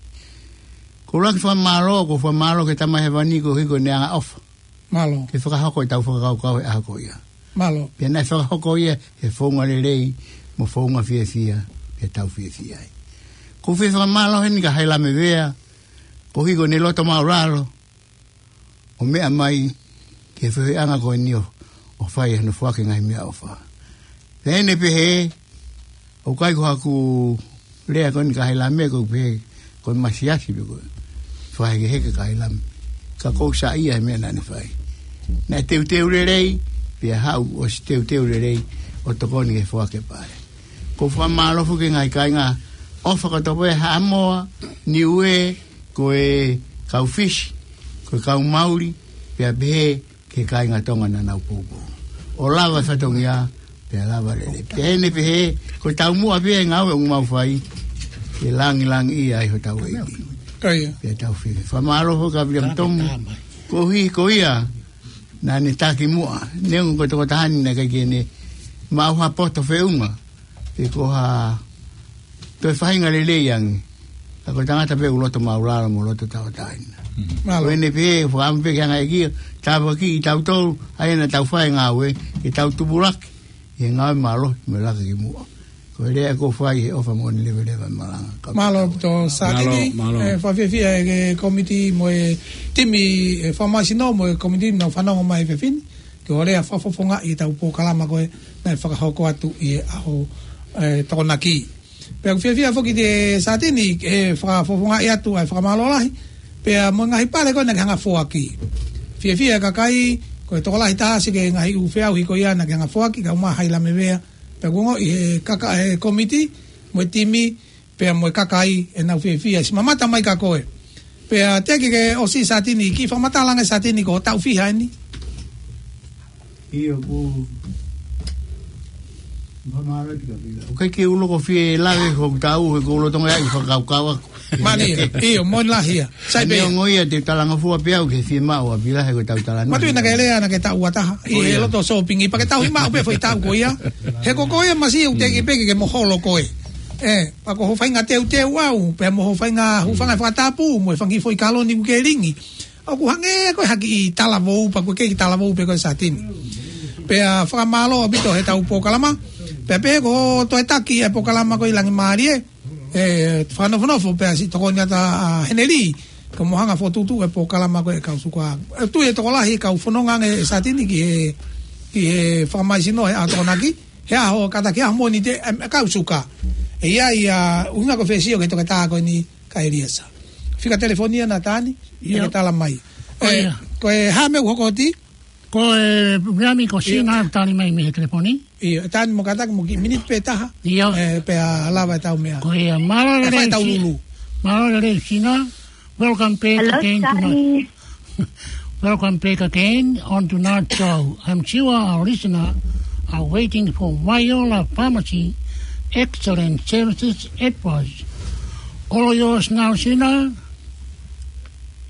ʻOku ou ʻuluaki fakamālō, ʻoku ou fakamālō ki he Tamai Hēvani koeʻuhi ko ʻene angaʻofa. Mālō. Ke fakahoko ʻetau fakakaukau he ʻaho ko ia. Mālō. Pea naʻe fakahoko ia he founga lelei, mo e founga fiefia, pea tau fiefia ai. ʻOku ou fie fakamālō heni kia Hailame Vea, koeʻuhi ko ʻene loto maʻulalo, ʻo meʻa mai ki he feohiʻanga ko eni ʻo, ʻo fai hono foaki e ngaahi meʻaʻofa. Pea ʻi heʻene pehē, ʻoku ʻikai ko haʻaku lea ko eni kia Hailame, ʻoku ou pehē ko e masiasi pē ko e fakahekeheke kia Hailame. Ka ʻoku ou saiʻia he meʻa naʻa ne fai. Naʻe teuteu lelei, pea haʻu ʻosi teuteu lelei ʻo tokoni ki he foaki e pale. ʻOku ou fakamālō foki ki he ngaahi kāinga ʻofa kotoa pē, Haʻamoa, Niuē, ko e kau Fisi, ko e kau Mauli, pea pehē ki he kāinga Tonga naʻa nau poupou. ʻO lava e fatongia, pea lava lelei. Pea ʻi heʻene pehē, ko e taumuʻa pē ia e ngāue ʻoku mau fai, ke langilangiʻia ai hotau ʻEiki. Ko ia. Pea tau fili. Fakamālō foki kia Viliami Tomu, koeʻuhi ko ia naʻa ne taki muʻa. Neongo ko e tokotaha ni naʻe ʻikai ke ne maʻu ha poto feʻunga, pe ko ha toe faʻahinga lelei ange. Ka ko e tangata pē ʻoku loto maʻulalo mo loto tauʻatāina. Mālō. Ko ʻene pehē, fakaʻamu pē ke hanga ʻe he ʻEiki ʻo tāpuakiʻi kitautolu, ʻa ia naʻa tau fai e ngāue, ke tau tupulaki ʻi he ngāue mālohi mo e laka ki muʻa. Ko e lea ʻoku ou fai he ʻofa mo ʻene leveleva e malanga. Mālō ʻaupito Satini, Mālō, mālō. Ē, fakafiefia e kōmiti mo e timi, ē, fakamālohisino mo e kōmiti naʻa nau fanongo mai he efiafi ni. Ke ʻoua leva fakafofongaʻi ʻetau polokalama ko ē naʻe fakahoko atu ʻi he ʻaho, ē, Tokonaki. Pea ʻoku fiefia foki ʻa Satini, ē, fakafofongaʻi atu ʻa e fakamālō lahi. Pea mo e ngaahi pale ko ē naʻa ke hanga foaki. Fiefia e kakai, ko e tokolahi taha siʻi ki he ngaahi ʻū feʻauhi ko ia naʻa ke hanga foaki, kau mai Hailame Vea. Pea ʻoku ongoʻi he kaka e kōmiti, mo e timi, pea mo e kakai ʻenau fiefia, siʻi mamata mai kia koe. Pea teʻeki ke ʻosi Satini, kiʻi fakamatala ange Satini ko e taʻu fiha eni. ʻIo, ʻoku ou fakamālō atu kia Vila. ʻOku ʻikai ke u loko fie lave hoku taʻu, he ʻoku ou lolotonga ʻi he fakakaukau ʻaku. Mālie, ʻio, moʻoni lahi ia. Sai pē. Neongo ia te u talangofua pē au ki he fiemaʻu ʻa Vila he ko ʻetau talanoa. Mātuʻaki naʻa ke lea, naʻa ke taʻu ua taha. ʻI he loto sōpingi, pea ke tauhi maʻu pē foʻi taʻu ko ia. He ko koe ia masiʻi ʻoku teʻeki pē ke ke moholo koe. Ē, pea ko hoʻo faʻahinga teuteu au, pea mo hoʻo faʻahinga hūfanga he fakatapu, mo e fanga kiʻi foʻi kaloni ʻoku ke lingi. ʻOku hangē ko e ha kiʻi talavou, pea ʻoku ke kiʻi talavou pē koe Satini. Pea fakamālō ʻaupito heʻetau polokalama. Pea pehē ko e toe taki e polokalama ko ē ʻi Langimālie. Ē, fakanofonofo pea siʻi tokoni atu ʻa Heneli, ko e mo hanga fokotuʻutuʻu e polokalama ko ē kau suka. ʻE tui e tokolahi kau fononga ange Satini ki he, ki he fakamālohisino he ʻaho Tokonaki, he ʻaho kātaki ʻaho Mōnite, ē, kau suka. ʻE ʻi ai ʻa e ʻuhinga ko e fie sio ki he toketā ko eni kia ʻEliesa. Fika telefoni ʻa Natani, ʻio, ke tala mai. Ko ia. Ē, ko e hā e meʻa ʻoku hoko atu? Ko e, Viliami, ko ʻIo. Sina ʻoku tali mai mei he telefoni. ʻIo, ʻe taha ni mo kātaki mo e kiʻi miniti pē ʻe taha. ʻIo. Ē, pea lava ʻetau meʻa. Ko ia, mālō e lelei fai ʻetau Sina. Lulu. Mālō e lelei Sina. Welcome back Hello, again tonight. Danny. Welcome back again on Tonight Show. I'm sure our listener are waiting for Viola Pharmacy excellent services advice. All yours now, Sina.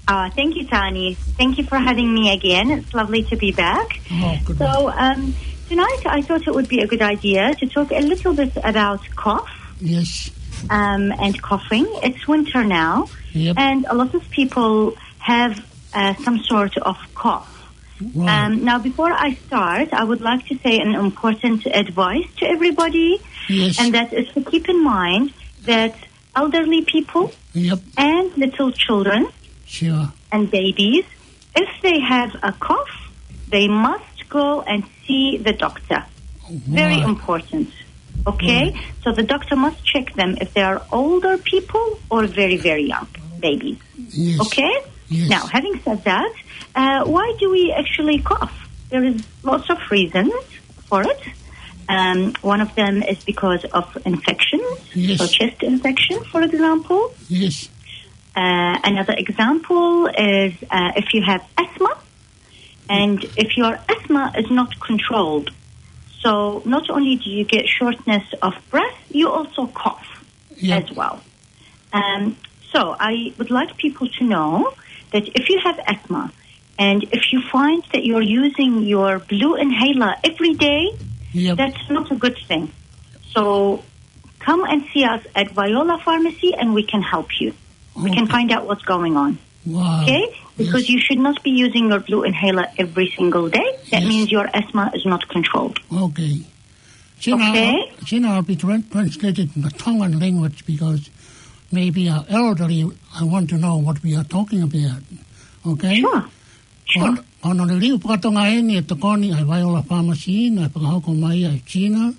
Uh, thank you, Tani. Thank you for having me again. It's lovely to be back. Oh, good. So, um, tonight I thought it would be a good idea to talk a little bit about cough, yes, um, and coughing. It's winter now, yep, and a lot of people have uh, some sort of cough. Right. Um, now, before I start, I would like to say an important advice to everybody, Yes. and that is to keep in mind that elderly people Yep. and little children Sure. and babies, if they have a cough, they must go and see the doctor. Very Right. important. Okay? Right. So the doctor must check them if they are older people or very, very young babies. Yes. Okay? Yes. Now, having said that, uh, why do we actually cough? There is lots of reasons for it. Um, one of them is because of infections, Yes. so chest infection, for example. Yes. Uh, another example is uh, if you have asthma, and if your asthma is not controlled, so not only do you get shortness of breath, you also cough Yep. as well. Um, so I would like people to know that if you have asthma and if you find that you're using your blue inhaler every day, Yep. that's not a good thing. So come and see us at Viola Pharmacy and we can help you. We can Okay. find out what's going on. Wow. Okay? Because Yes. you should not be using your blue inhaler every single day. That Yes. means your asthma is not controlled. Okay. Sina, Okay. Sina, I'll be tran-, translated in the Tongan language because maybe our elderly, I want to know what we are talking about. Okay? Sure. Sure. Ko hono, ko hono liliu fakatonga eni ʻe tokoni ʻa e Viola Pharmacy naʻe fakahoko mai ʻe Sina.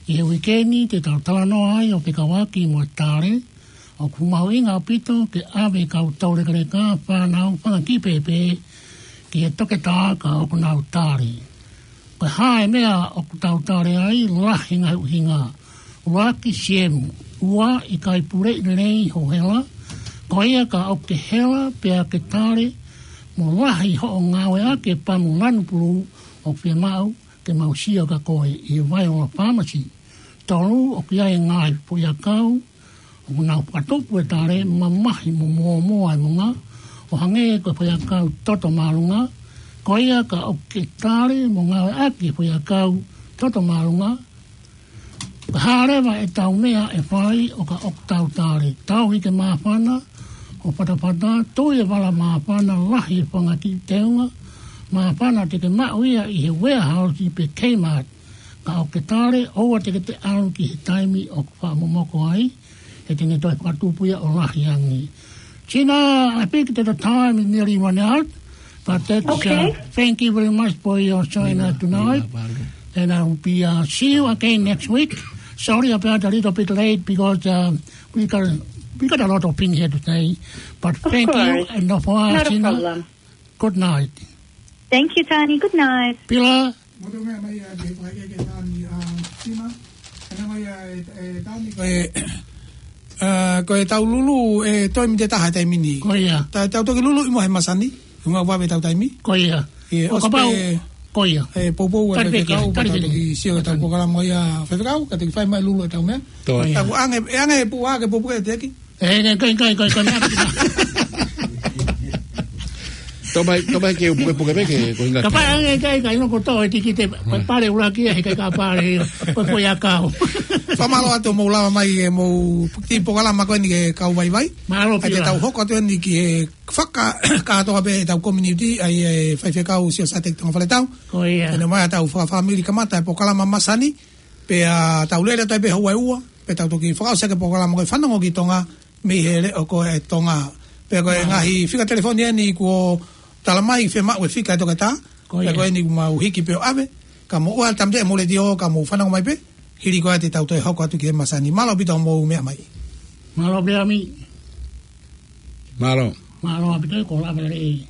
ʻI he uike ni te tau talanoa ai ʻo fekauʻaki mo e tale. ʻOku mahuʻinga ʻaupito ke ʻave kau toulekeleka, fānau, fanga kiʻi pēpē ki he toketā ka ʻoku nau tali. Ko e hā e meʻa ʻoku tau tali ai? Lahi e ngaahi ʻuhinga. ʻUluaki, siemu. Ua, ʻikai puleʻi lelei hoʻo hela. Ko ia ka ʻoku ke hela pea ke tali mo lahi hoʻo ngāueʻaki e pamu lanu pulū, ʻoku fiemaʻu ke mau sio kia koe ʻi he Viola Pharmacy. Tolu, ʻoku ʻi ai e ngaahi foʻiʻakau ʻoku nau fakatupu e tale, mamahi mo mōmoa e moʻunga, ʻo hangē ko e foʻiʻakau toto māʻolunga. Ko ia ka ʻoku ke tali mo ngāueʻaki e foʻiʻakau toto māʻolunga, ko e hā leva ʻetau meʻa ʻe fai ʻo ka ʻoku tau tali? Tauhi ke māfana hoʻo fatafata, tui e vala māfana, lahi e fanga kiʻi teunga māfana te ke maʻu ia ʻi he warehouse pe Kmart. Ka ʻoku ke tali, ʻoua te ke toe ʻalu ki he taimi ʻoku fakamomoko ai, he te ne toe fakatupu ia ʻo lahi ange. Sina, I think that the time is nearly run out, but that's, Okay. uh, thank you very much for your showing up tonight. And I'll be, uh, see you again next week. Sorry about a little bit late because, uh, we got, we got a lot of things here today. But Of thank you course. and no for Not a Sina. problem. Good night. Thank you, Tani. Good night. Pila. Mo tau meʻa mai ʻa e fakaʻekeʻeke ʻa Tani, ʻa Sina. Ena mai ʻa e, e Tani, ko e, ʻa, ko e tau lulu, e toe mite taha e taimi ni. Ko ia. Ta, tau toki lulu ʻi mo he masani, ʻi mo vave tau taimi. Ko ia. ʻIo, ʻo ʻosi kapau, pē, ko ia. E poupou e Tali pē ke, faifekau, tali pē ke. Tau toki sio ki he tau polokalama ia faifekau, ka toki fai mai lulu e tau meʻa. Ko ia. Tau ange, e ange e pua ke poupou e teki. E, kai, kai, kai, kai, kai, meʻa. Tō mai, tō mai ke u pukepuke pē ke, ko hinga. Kapau ange, kai, kai, no ko tō, e tiki te, ko e pale ʻuluaki, he kai ka pale, ko e foʻiʻakau. Fakamālō atu mou lava mai e mou ki he polokalama ko eni ke kau vaivai. Mālō Pila. ʻAi te tau hoko atu eni ki he fakakātoa pē ʻetau community, ʻa e faifekau Siosiate Tonga Faletau. Ko ia. Ena mai ʻa tau fakafāmili kamata e polokalama masani, pea tau lele atu ai pē houa ʻe ua, pea tau toki fakaʻosi ʻaki e polokalama ko e Fanongo ki Tonga, mei he leʻo ko e Tonga. Pea ko e ngaahi fika telefoni eni kuo tala mai fiemaʻu e fika e toketā. Ko ia. Pea ko eni kuo mau hiki pē ʻo ʻave. Ka mou ʻoua ʻe tāmateʻi mo e letiō, ka mou fanongo mai pē. Hili ko ia te tau toe hoko atu ki he masani. Mālō ʻaupito mou meʻa mai. Mālō pē ʻami. Mālō. Mālō ʻaupito ko la vale.